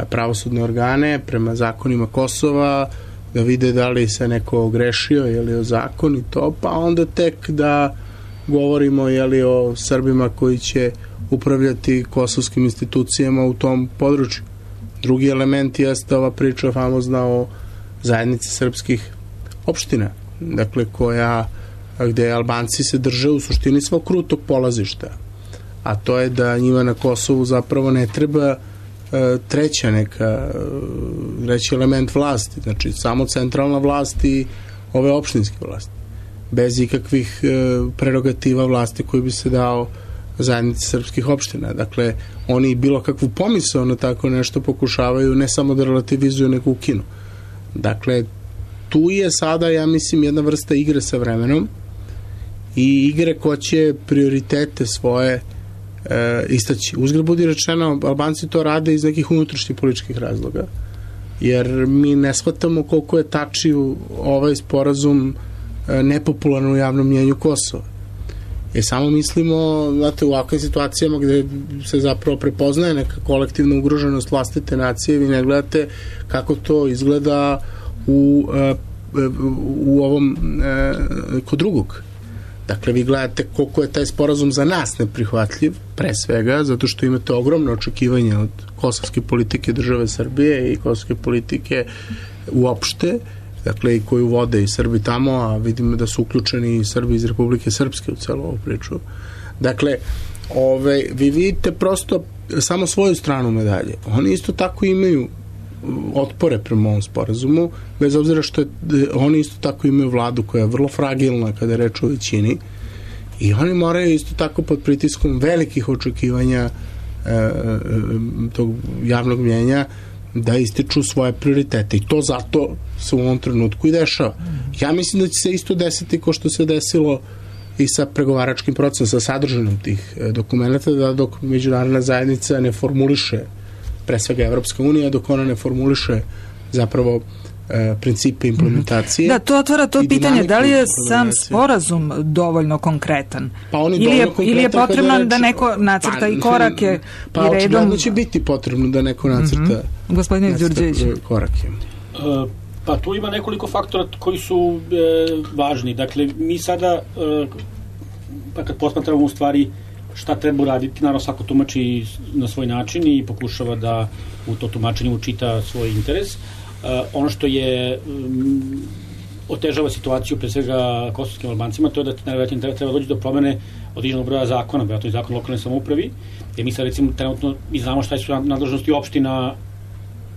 Speaker 10: pravosudne organe prema zakonima Kosova, da vide da li se neko ogrešio ili o zakon i to, pa onda tek da govorimo o Srbima koji će upravljati kosovskim institucijama u tom području. Drugi element jeste ova priča famozna o zajednici srpskih opština, dakle gde Albanci se drže u suštini svog krutog polazišta, a to je da njima na Kosovu zapravo ne treba treći element vlasti, znači samo centralna vlast i ove opštinske vlasti, bez ikakvih prerogativa vlasti koji bi se dao zajednici srpskih opština. Dakle, oni bilo kakvu pomisao na tako nešto pokušavaju ne samo da relativizuju, nego ukinu. Dakle, tu je sada, ja mislim, jedna vrsta igre sa vremenom i igre ko će prioritete svoje istaći. Uzgred budi rečeno, Albanci to rade iz nekih unutrašnjih političkih razloga, jer mi ne shvatamo koliko je tačio ovaj sporazum nepopularno u javnom mnjenju Kosova. Samo mislimo, znate, u ovakvim situacijama gde se zapravo prepoznaje neka kolektivna ugroženost vlastite nacije, vi ne gledate kako to izgleda u ovom kod drugog. Dakle, vi gledate koliko je taj sporazum za nas neprihvatljiv, pre svega, zato što imate ogromno očekivanje od kosovske politike države Srbije i kosovske politike uopšte, dakle, i koju vode i Srbi tamo, a vidimo da su uključeni i Srbi iz Republike Srpske u celu ovu priču. Dakle, vi vidite prosto samo svoju stranu medalje. Oni isto tako imaju otpore prema ovom sporazumu, bez obzira što oni isto tako imaju vladu koja je vrlo fragilna kada je reč o većini i oni moraju isto tako pod pritiskom velikih očekivanja tog javnog mnjenja da ističu svoje prioritete i to zato se u ovom trenutku i dešava. Ja mislim da će se isto desiti kao što se desilo i sa pregovaračkim procesom, sa sadržanom tih dokumenta, da dok međunarodna zajednica ne formuliše, pre svega Evropska unija, dok ona ne formuliše zapravo principe implementacije.
Speaker 1: Da, to otvara to pitanje, da li je sam sporazum dovoljno konkretan? Ili je potrebno da neko nacrta i korake i redom?
Speaker 10: Pa očigledno će biti potrebno da neko nacrta
Speaker 1: Gospodine Đurđević.
Speaker 10: Korake.
Speaker 9: Pa tu ima nekoliko faktora koji su važni. Dakle, mi sada, pa kad posmatramo u stvari šta treba uraditi, naravno svako tumači na svoj način i pokušava da u to tumačenju učita svoj interes. Ono što je otežava situaciju pre svega kosovskim Albancima, to je da treba doći do promene određenog broja zakona, vjerojatno i zakon o lokalnoj samoupravi, jer mi sad recimo trenutno mi znamo šta su nadležnosti opština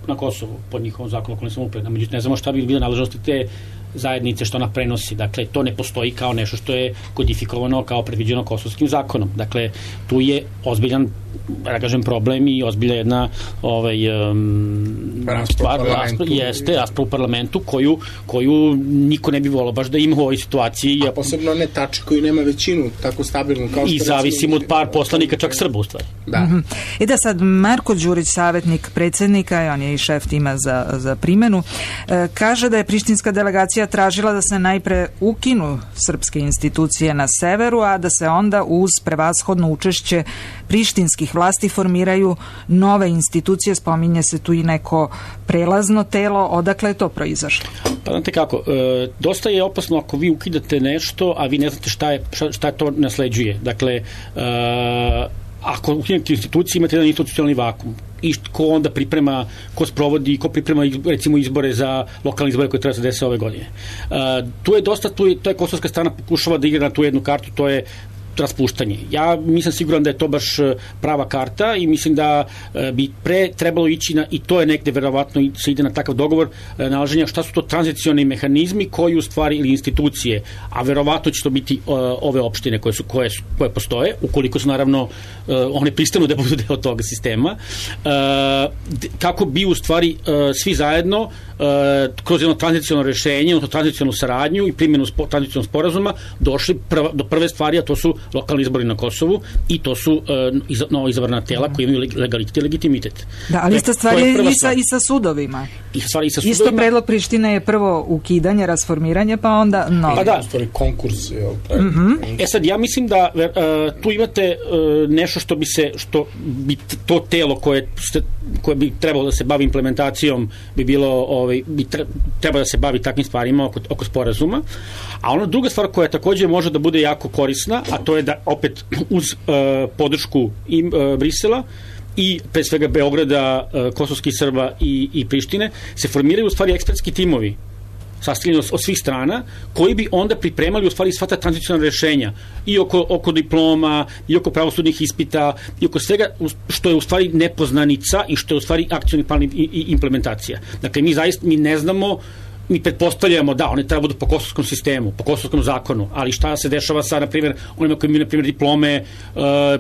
Speaker 9: na Kosovu pod njihovom zakonu o lokalnoj samoupravi, međutim ne znamo šta bi bile nadležnosti te zajednice što ona prenosi. Dakle, to ne postoji kao nešto što je kodifikovano kao predviđeno kosovskim zakonom. Dakle, tu je ozbiljan, da kažem, problem i ozbilja jedna rasprava u parlamentu koju niko ne bi volao baš da ima u ovoj situaciji.
Speaker 10: A posebno ne Tači koji nema većinu tako stabilnu kao što...
Speaker 9: I zavisimo od par poslanika, čak Srba u stvari.
Speaker 10: Da.
Speaker 1: I da sad Marko Đurić, savjetnik predsjednika, on je i šef tima za primjenu, kaže da je prištinska delegacija opozicija tražila da se najpre ukinu srpske institucije na severu, a da se onda uz prevashodno učešće prištinskih vlasti formiraju nove institucije. Spominje se tu i neko prelazno telo. Odakle je to proizašlo?
Speaker 9: Pa znate kako, dosta je opasno ako vi ukidate nešto, a vi ne znate šta to nasleđuje. Dakle, ako ukinete institucije, imate jedan institucionalni vakum. I ko onda priprema, ko sprovodi, ko priprema recimo izbore za lokalne izbore koje treba se desiti ove godine. Tu je dosta, to je kosovska strana pokušava da igra na tu jednu kartu, to je raspuštanje. Ja nisam siguran da je to baš prava karta i mislim da bi pre trebalo ići i to je negde verovatno se ide na takav dogovor nalaženja šta su to tranzicioni mehanizmi koji u stvari ili institucije, a verovatno će to biti ove opštine koje postoje, ukoliko su naravno one pristanu da budu deo toga sistema, kako bi u stvari svi zajedno kroz jedno tranziciono rešenje, odnosno tranzicionu saradnju i primjenu tranzicionog sporazuma došli do prve stvari, a to su lokalni izbori na Kosovu i to su novo izabrana tela koji imaju legalitet i legitimitet.
Speaker 1: Da, ali ista stvar je i sa sudovima. Isto predlog Prištine je prvo ukidanje, rasformiranje, pa onda novi.
Speaker 10: Pa da, stvari konkurs.
Speaker 9: Sad, ja mislim da tu imate nešto što bi to telo koje bi trebalo da se bavi implementacijom bi bilo, treba da se bavi takvim stvarima oko sporazuma. A ona druga stvar koja takođe može da bude jako korisna, a to je da opet uz podršku Brisela i pre svega Beograda, kosovskih Srba i Prištine se formiraju u stvari ekspertski timovi sastavljeni od svih strana, koji bi onda pripremali u stvari sva ta tranzicijona rešenja i oko diploma, i oko pravosudnih ispita, i oko svega što je u stvari nepoznanica i što je u stvari akcioni plan i implementacija. Dakle, mi ne znamo, mi pretpostavljamo da one treba budu po kosovskom sistemu, po kosovskom zakonu, ali šta se dešava sa, na primjer, onima koji imaju, na primjer, diplome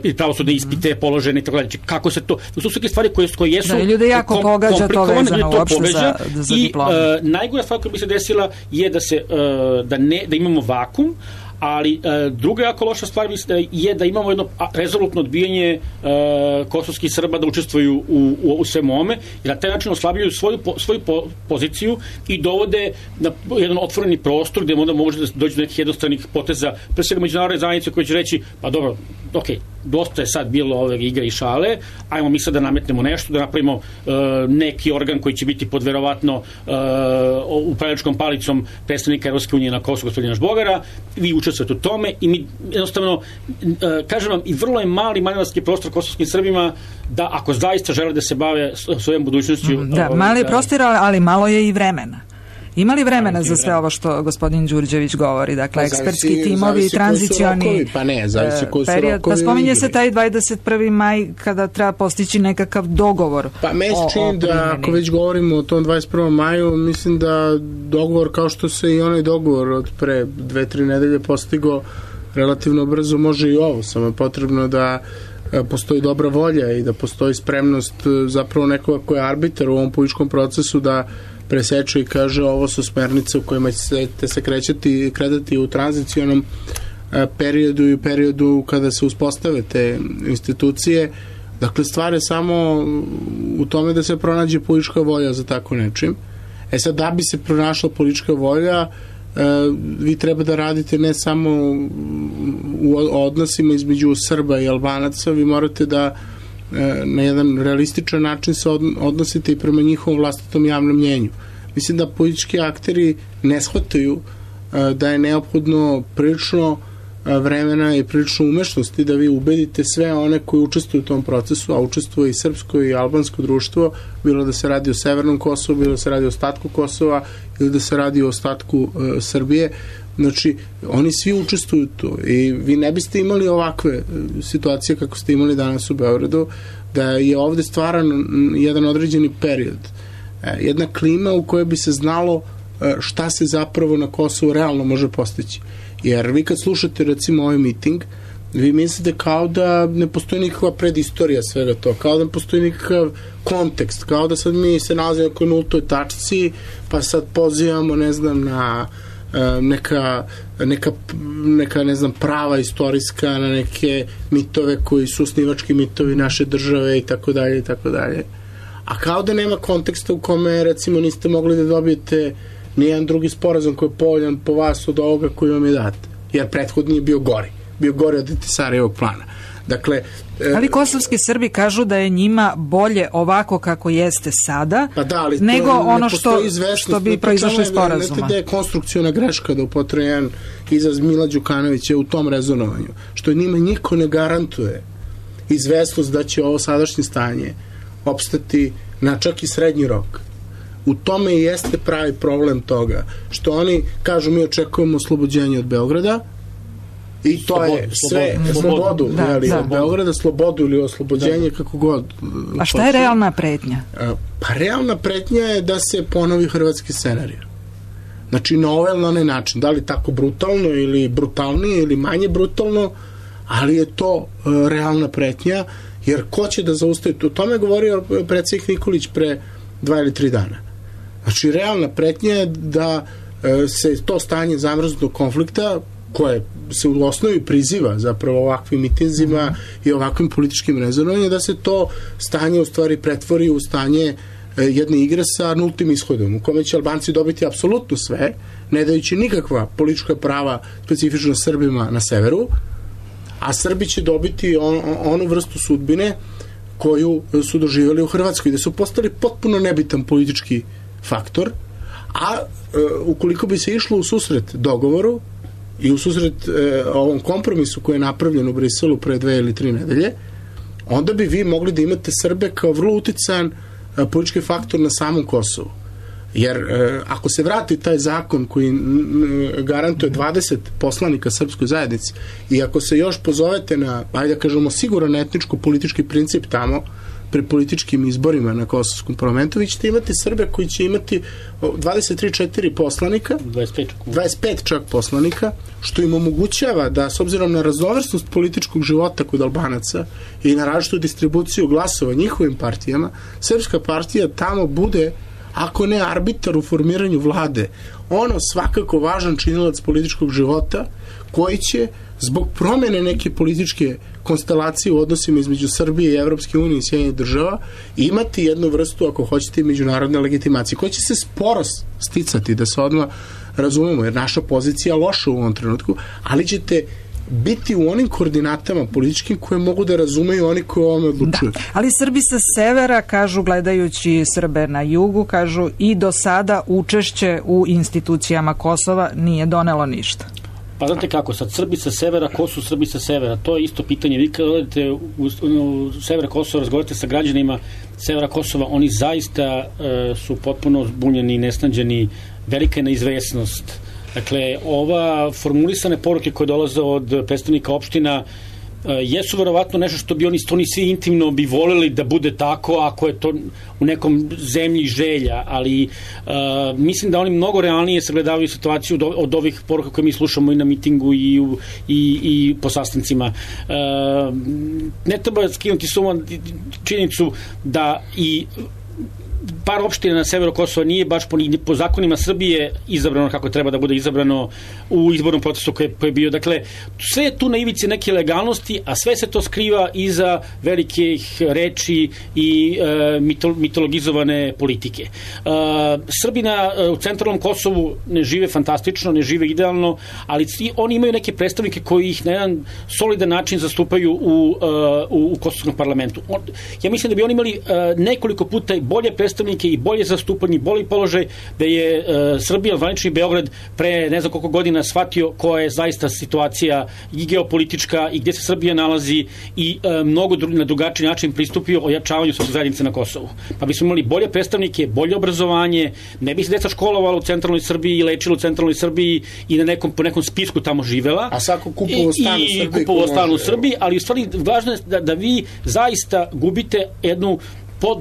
Speaker 9: ili pravosudne ispite položene i tako dalje. Kako se to... To su neke stvari koje jesu...
Speaker 1: Da, ljude jako pogađa to vezano uopšte za diplome.
Speaker 9: I najgora stvar koja bi se desila je da imamo vakum, ali druga jako loša stvar je da imamo jedno rezolutno odbijanje kosovskih Srba da učestvuju u svemu ome i na taj način oslabljaju svoju poziciju i dovode na jedan otvoreni prostor gde onda može da dođe do nekih jednostranih poteza, pre svega međunarodne zajednice koje će reći, pa dobro, dosta je sad bilo ove igre i šale, ajmo mi sad da nametnemo nešto, da napravimo neki organ koji će biti pod verovatno upravljačkom palicom predstavnika Evropske unije na Kosovu, gospodina Žbogara, vi učestvujete u tome i mi jednostavno, kažem vam, i vrlo je mali manevarski prostor kosovskim Srbima da ako zaista žele da se bave svojom budućnošću...
Speaker 1: Da, mali je prostor, ali malo je i vremena. Ima li vremena za sve ovo što gospodin Đurđević govori? Dakle, ekspertski timovi, tranzicioni period. Pa spominje se taj 21. maj kada treba postići nekakav dogovor.
Speaker 10: Pa me se čini da ako već govorimo o tom 21. maju, mislim da dogovor kao što se i onaj dogovor od pre 2-3 nedelje postigo relativno brzo, može i ovo. Samo je potrebno da postoji dobra volja i da postoji spremnost zapravo nekoga koja je arbitar u ovom političkom procesu da preseče i kaže ovo su smernice u kojima ćete se kretati u tranzicionom periodu i periodu kada se uspostave te institucije. Dakle, stvar je samo u tome da se pronađe politička volja za tako nečim. Sad, da bi se pronašla politička volja, vi treba da radite ne samo u odnosima između Srba i Albanaca, vi morate da na jedan realističan način se odnosite i prema njihovom vlastitom javnom mnjenju. Mislim da politički akteri ne shvataju da je neophodno prilično vremena i prilično umešnosti da vi ubedite sve one koji učestvuju u tom procesu, a učestvuje i srpsko i albansko društvo, bilo da se radi o Severnom Kosovu, bilo da se radi o ostatku Kosova ili da se radi o ostatku Srbije. Znači, oni svi učestvuju tu i vi ne biste imali ovakve situacije kako ste imali danas u Beogradu, da je ovde stvaran jedan određeni period, jedna klima u kojoj bi se znalo šta se zapravo na Kosovu realno može postići. Jer vi kad slušate recimo ovaj miting, vi mislite kao da ne postoji nikakva predistorija svega to, kao da ne postoji nikakav kontekst, kao da sad mi se nalazimo oko nultoj tačci, pa sad pozivamo, ne znam, na neka ne znam, prava istorijska, na neke mitove koji su osnivački mitovi naše države i tako dalje i tako dalje. A kao da nema konteksta u kome recimo niste mogli da dobijete nijedan drugi sporazum koji je povoljan po vas od ovoga koji vam je dat. Jer prethodni je bio gori. Bio gori od Tisarevog plana. Dakle,
Speaker 1: ali kosovski Srbi kažu da je njima bolje ovako kako jeste sada, nego ono što bi proizašlo iz sporazuma.
Speaker 10: Znate da je konstrukcijona greška, da upotrebi jedan izraz Mila Đukanovića u tom rezonovanju, što njima niko ne garantuje izvesnost da će ovo sadašnje stanje opstati na čak i srednji rok. U tome i jeste pravi problem toga, što oni kažu mi očekujemo oslobođenje od Beograda, i to je sve slobodu od Beograda, slobodu ili oslobođenje, kako god.
Speaker 1: A šta je realna pretnja?
Speaker 10: Pa realna pretnja je da se ponovi hrvatski scenarij. Znači na ovaj ili na onaj način, da li tako brutalno ili brutalnije ili manje brutalno, ali je to realna pretnja, jer ko će da zaustavi? O tome je govorio predsjednik Nikolić pre 2 ili 3 dana. Znači realna pretnja je da se to stanje zamrznutog konflikta, koje se u osnovi priziva zapravo ovakvim mitinzima i ovakvim političkim rezonovanjem, da se to stanje u stvari pretvori u stanje jedne igre sa nultim ishodom, u kome će Albanci dobiti apsolutno sve, ne dajući nikakva politička prava specifično Srbima na severu, a Srbi će dobiti onu vrstu sudbine koju su doživjeli u Hrvatskoj, gde su postali potpuno nebitan politički faktor, a ukoliko bi se išlo u susret dogovoru i u susret ovom kompromisu koji je napravljen u Briselu pre 2 ili 3 nedelje, onda bi vi mogli da imate Srbe kao vrlo uticajan politički faktor na samom Kosovu. Jer ako se vrati taj zakon koji garantuje 20 poslanika srpskoj zajednici i ako se još pozovete na, ajde da kažemo, siguran etničko-politički princip tamo, pri političkim izborima na Kosovskom parlamentu, vi ćete imati Srbe koji će imati 23-4 poslanika, 25 čak poslanika, što im omogućava da, s obzirom na raznovrsnost političkog života kod Albanaca i na različitu distribuciju glasova njihovim partijama, Srpska partija tamo bude, ako ne arbitar u formiranju vlade, ono svakako važan činilac političkog života koji će zbog promene neke političke konstelacije u odnosima između Srbije i Evropske unije i Sjedinjenih država imati jednu vrstu, ako hoćete, međunarodne legitimacije, koja će se sporo sticati, da se odmah razumemo, jer naša pozicija je loša u ovom trenutku, ali ćete biti u onim koordinatama političkim koje mogu da razumeju oni koji o ovome odlučuju.
Speaker 1: Da, ali Srbi sa severa, kažu, gledajući Srbe na jugu, kažu i do sada učešće u institucijama Kosova nije donelo ništa.
Speaker 9: Pa znate kako, sad Srbi sa severa, ko su Srbi sa severa? To je isto pitanje. Vi kada odete u sever Kosova, razgovarate sa građanima severa Kosova, oni zaista su potpuno zbunjeni i nesnađeni, velika je neizvesnost. Dakle, ova formulisane poruke koje dolaze od predstavnika opština jesu verovatno nešto što bi oni svi intimno bi voleli da bude tako ako je to u nekom zemlji želja, ali mislim da oni mnogo realnije sagledavaju situaciju od ovih poruka koje mi slušamo i na mitingu i po sastancima. Ne treba skinuti suma činjenicu da i par opština na severu Kosova nije baš po zakonima Srbije izabrano kako treba da bude izabrano u izbornom procesu koji je bio. Dakle, sve je tu na ivici neke legalnosti, a sve se to skriva iza velikih reči i mitologizovane politike. Srbi u centralnom Kosovu ne žive fantastično, ne žive idealno, ali oni imaju neke predstavnike koji ih na jedan solidan način zastupaju u Kosovskom parlamentu. Ja mislim da bi oni imali nekoliko puta bolje predstavnike i bolje zastupanje, bolji položaj, da je Srbija, zvanični Beograd pre ne znam koliko godina shvatio koja je zaista situacija i geopolitička i gdje se Srbija nalazi i mnogo na drugačiji način pristupio ojačavanju srpske zajednice na Kosovu. Pa bismo imali bolje predstavnike, bolje obrazovanje, ne bi se deca školovalo u centralnoj Srbiji i lečilo u centralnoj Srbiji i po nekom spisku tamo živela.
Speaker 10: A svako kupovo
Speaker 9: stan u Srbiji, ali u stvari važno je da vi zaista gubite jednu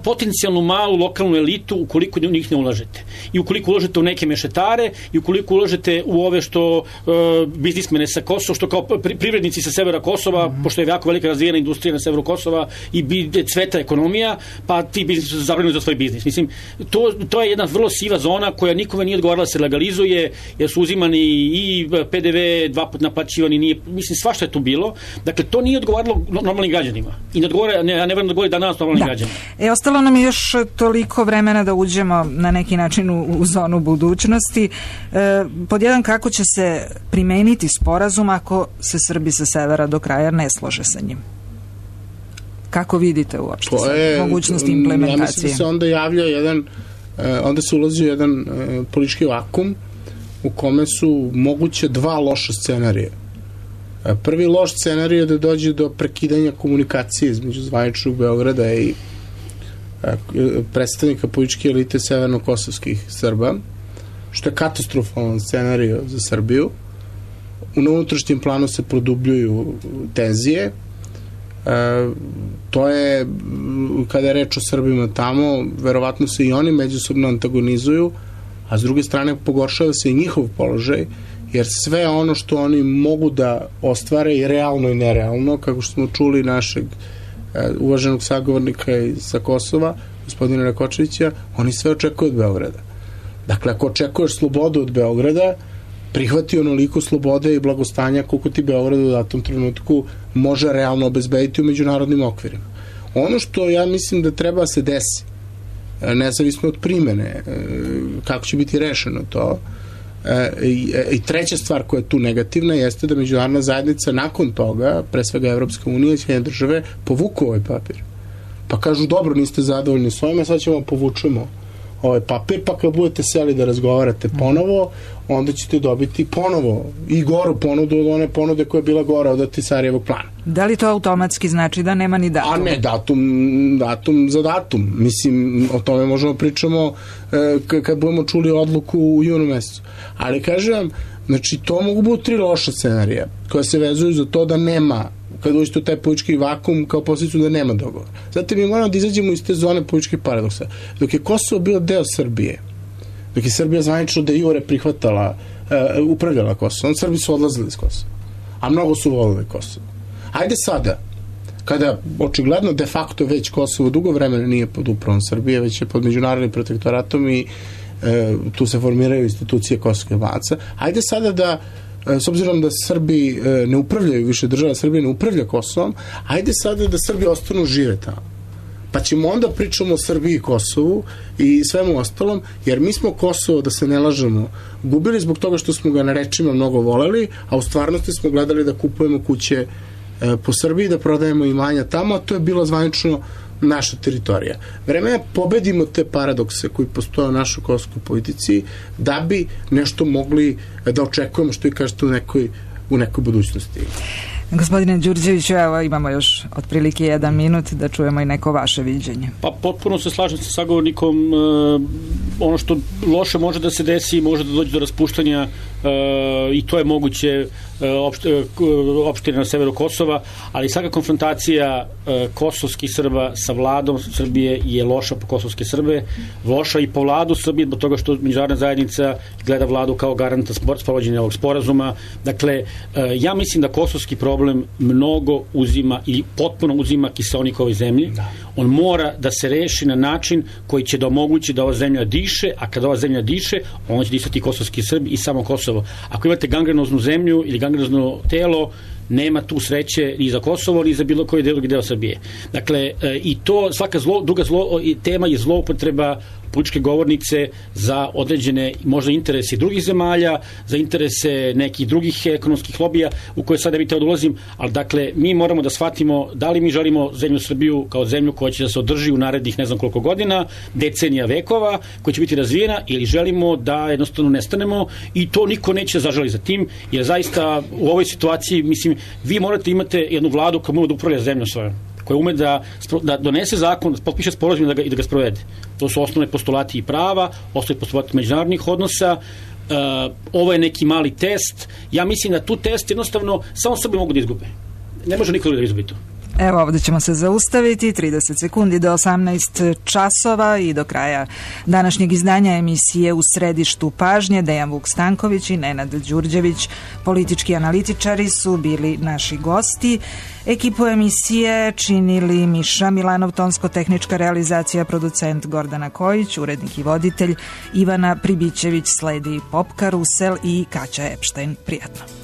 Speaker 9: potencijalnu malu lokalnu elitu ukoliko u njih ne ulažete. I ukoliko ulažete u neke mešetare i ukoliko ulažete u ove što biznismene sa Kosova, što kao privrednici sa severa Kosova, pošto je jako velika razvijena industrija na severu Kosova i cveta ekonomija, pa ti biznis su zabranjeni za svoj biznis. Mislim, to je jedna vrlo siva zona koja nikome nije odgovarala da se legalizuje, jer su uzimani i PDV 2 puta naplaćivani, mislim, svašta je tu bilo. Dakle, to nije odgovaralo normalnim građanima. I ne odgovara, ne verujem da odgovori danas normalnim građanima.
Speaker 1: Ostalo nam je još toliko vremena da uđemo na neki način u zonu budućnosti. Pod jedan, kako će se primeniti sporazum ako se Srbi sa severa do kraja ne slože sa njim? Kako vidite uopšte mogućnost implementacije?
Speaker 10: Ja mislim da se onda javlja onda se ulazi u jedan politički vakum u kome su moguće dva loša scenarija. Prvi loš scenarij je da dođe do prekidanja komunikacije između zvaničnog Beograda i predstavnika političke elite severno-kosovskih Srba, što je katastrofalan scenarij za Srbiju. Na unutrašnjem planu se produbljuju tenzije. To je, kada je reč o Srbima tamo, verovatno se i oni međusobno antagonizuju, a s druge strane pogoršava se i njihov položaj, jer sve ono što oni mogu da ostvare i realno i nerealno, kako što smo čuli našeg uvaženog sagovornika sa Kosova, gospodina Rakočevića, oni sve očekuju od Beograda. Dakle, ako očekuješ slobodu od Beograda, prihvati onoliko slobode i blagostanja koliko ti Beograd u datom trenutku može realno obezbediti u međunarodnim okvirima. Ono što ja mislim da treba se desi, nezavisno od primene, kako će biti rešeno to, i treća stvar koja je tu negativna jeste da međunarodna zajednica nakon toga, pre svega Evropska unija i Sjedinjene države, povuku ovaj papir. Pa kažu, dobro, niste zadovoljni s ovime, sad ćemo povučemo ovaj papir, pa kad budete seli da razgovarate ponovo, onda ćete dobiti ponovo i goru ponudu od one ponude koja je bila gora od Ahtisarijevog plana.
Speaker 1: Da li to automatski znači da nema ni datum?
Speaker 10: A ne, datum za datum. Mislim, o tome možemo pričamo kad budemo čuli odluku u junu mesecu. Ali kažem, znači, to mogu biti tri loša scenarija koja se vezuju za to da nema, kad uđete u taj politički vakum, kao posljedicu da nema dogovora. Zato mi moramo da izađemo iz te zone političkih paradoksa. Dok je Kosovo bio deo Srbije, dok je Srbija zvanično de jure prihvatala, upravljala Kosovom, Srbi su odlazili iz Kosova. A mnogo su volili Kosovo. Ajde sada, kada očigledno de facto već Kosovo dugo vremena nije pod upravom Srbije, već je pod međunarodnim protektoratom i tu se formiraju institucije kosovskih Albanca. Ajde sada da, s obzirom da Srbi ne upravljaju više, država Srbije ne upravlja Kosovom, ajde sada da Srbi ostanu žive tamo. Pa ćemo onda pričamo o Srbiji i Kosovu i svemu ostalom, jer mi smo Kosovo, da se ne lažemo, gubili zbog toga što smo ga na rečima mnogo voleli, a u stvarnosti smo gledali da kupujemo kuće po Srbiji, da prodajemo imanja tamo, a to je bilo zvanično naša teritorija. Vreme je pobedimo te paradokse koji postoje u našoj kosovskoj politici da bi nešto mogli da očekujemo, što i kažete, u nekoj budućnosti.
Speaker 1: Gospodine Đurđeviću, evo imamo još otprilike 1 minut da čujemo i neko vaše viđenje.
Speaker 9: Pa potpuno se slažem sa sagovornikom. Ono što loše može da se desi, može da dođe do raspuštanja i to je moguće opštine na severu Kosova, ali svaka konfrontacija kosovskih Srba sa vladom Srbije je loša po kosovske Srbe, loša i po vladu Srbije, zbog toga što međunarodna zajednica gleda vladu kao garanta sprovođenja ovog sporazuma. Dakle, ja mislim da kosovski problem mnogo uzima i potpuno uzima kiseonik ovoj zemlji. On mora da se reši na način koji će da omogući da ova zemlja diše, a kada ova zemlja diše, on će disati kosovski Srbi i samo Kosovo. Ako imate gangrenoznu zemlju ili gangrenozno telo, nema tu sreće ni za Kosovo, ni za bilo koji drugi deo Srbije. Dakle, i to, svaka druga tema je zloupotreba političke govornice za određene možda interese drugih zemalja, za interese nekih drugih ekonomskih lobija u koje sada bi te odulazim, ali dakle, mi moramo da shvatimo da li mi želimo zemlju Srbiju kao zemlju koja će da se održi u narednih ne znam koliko godina, decenija, vekova, koja će biti razvijena, ili želimo da jednostavno nestanemo, i to niko neće zažali za tim, jer zaista u ovoj situaciji, mislim, vi morate imate jednu vladu koja može da upravlja zemljom svojom, koja ume da donese zakon, da potpiše sporazum i da ga sprovede. To su osnovne postulati i prava, osnovne postulati međunarodnih odnosa. Ovo je neki mali test. Ja mislim da tu test jednostavno samo Srbi mogu da izgube. Ne može niko da izgubi to.
Speaker 1: Evo, ovdje ćemo se zaustaviti, 30 sekundi do 18 časova i do kraja današnjeg izdanja emisije U središtu pažnje. Dejan Vuk Stanković i Nenad Đurđević, politički analitičari, su bili naši gosti. Ekipu emisije činili Miša Milanov, tonsko-tehnička realizacija, producent Gordana Kojić, urednik i voditelj Ivana Pribićević, sledi Pop Karusel i Kaća Epštajn. Prijatno.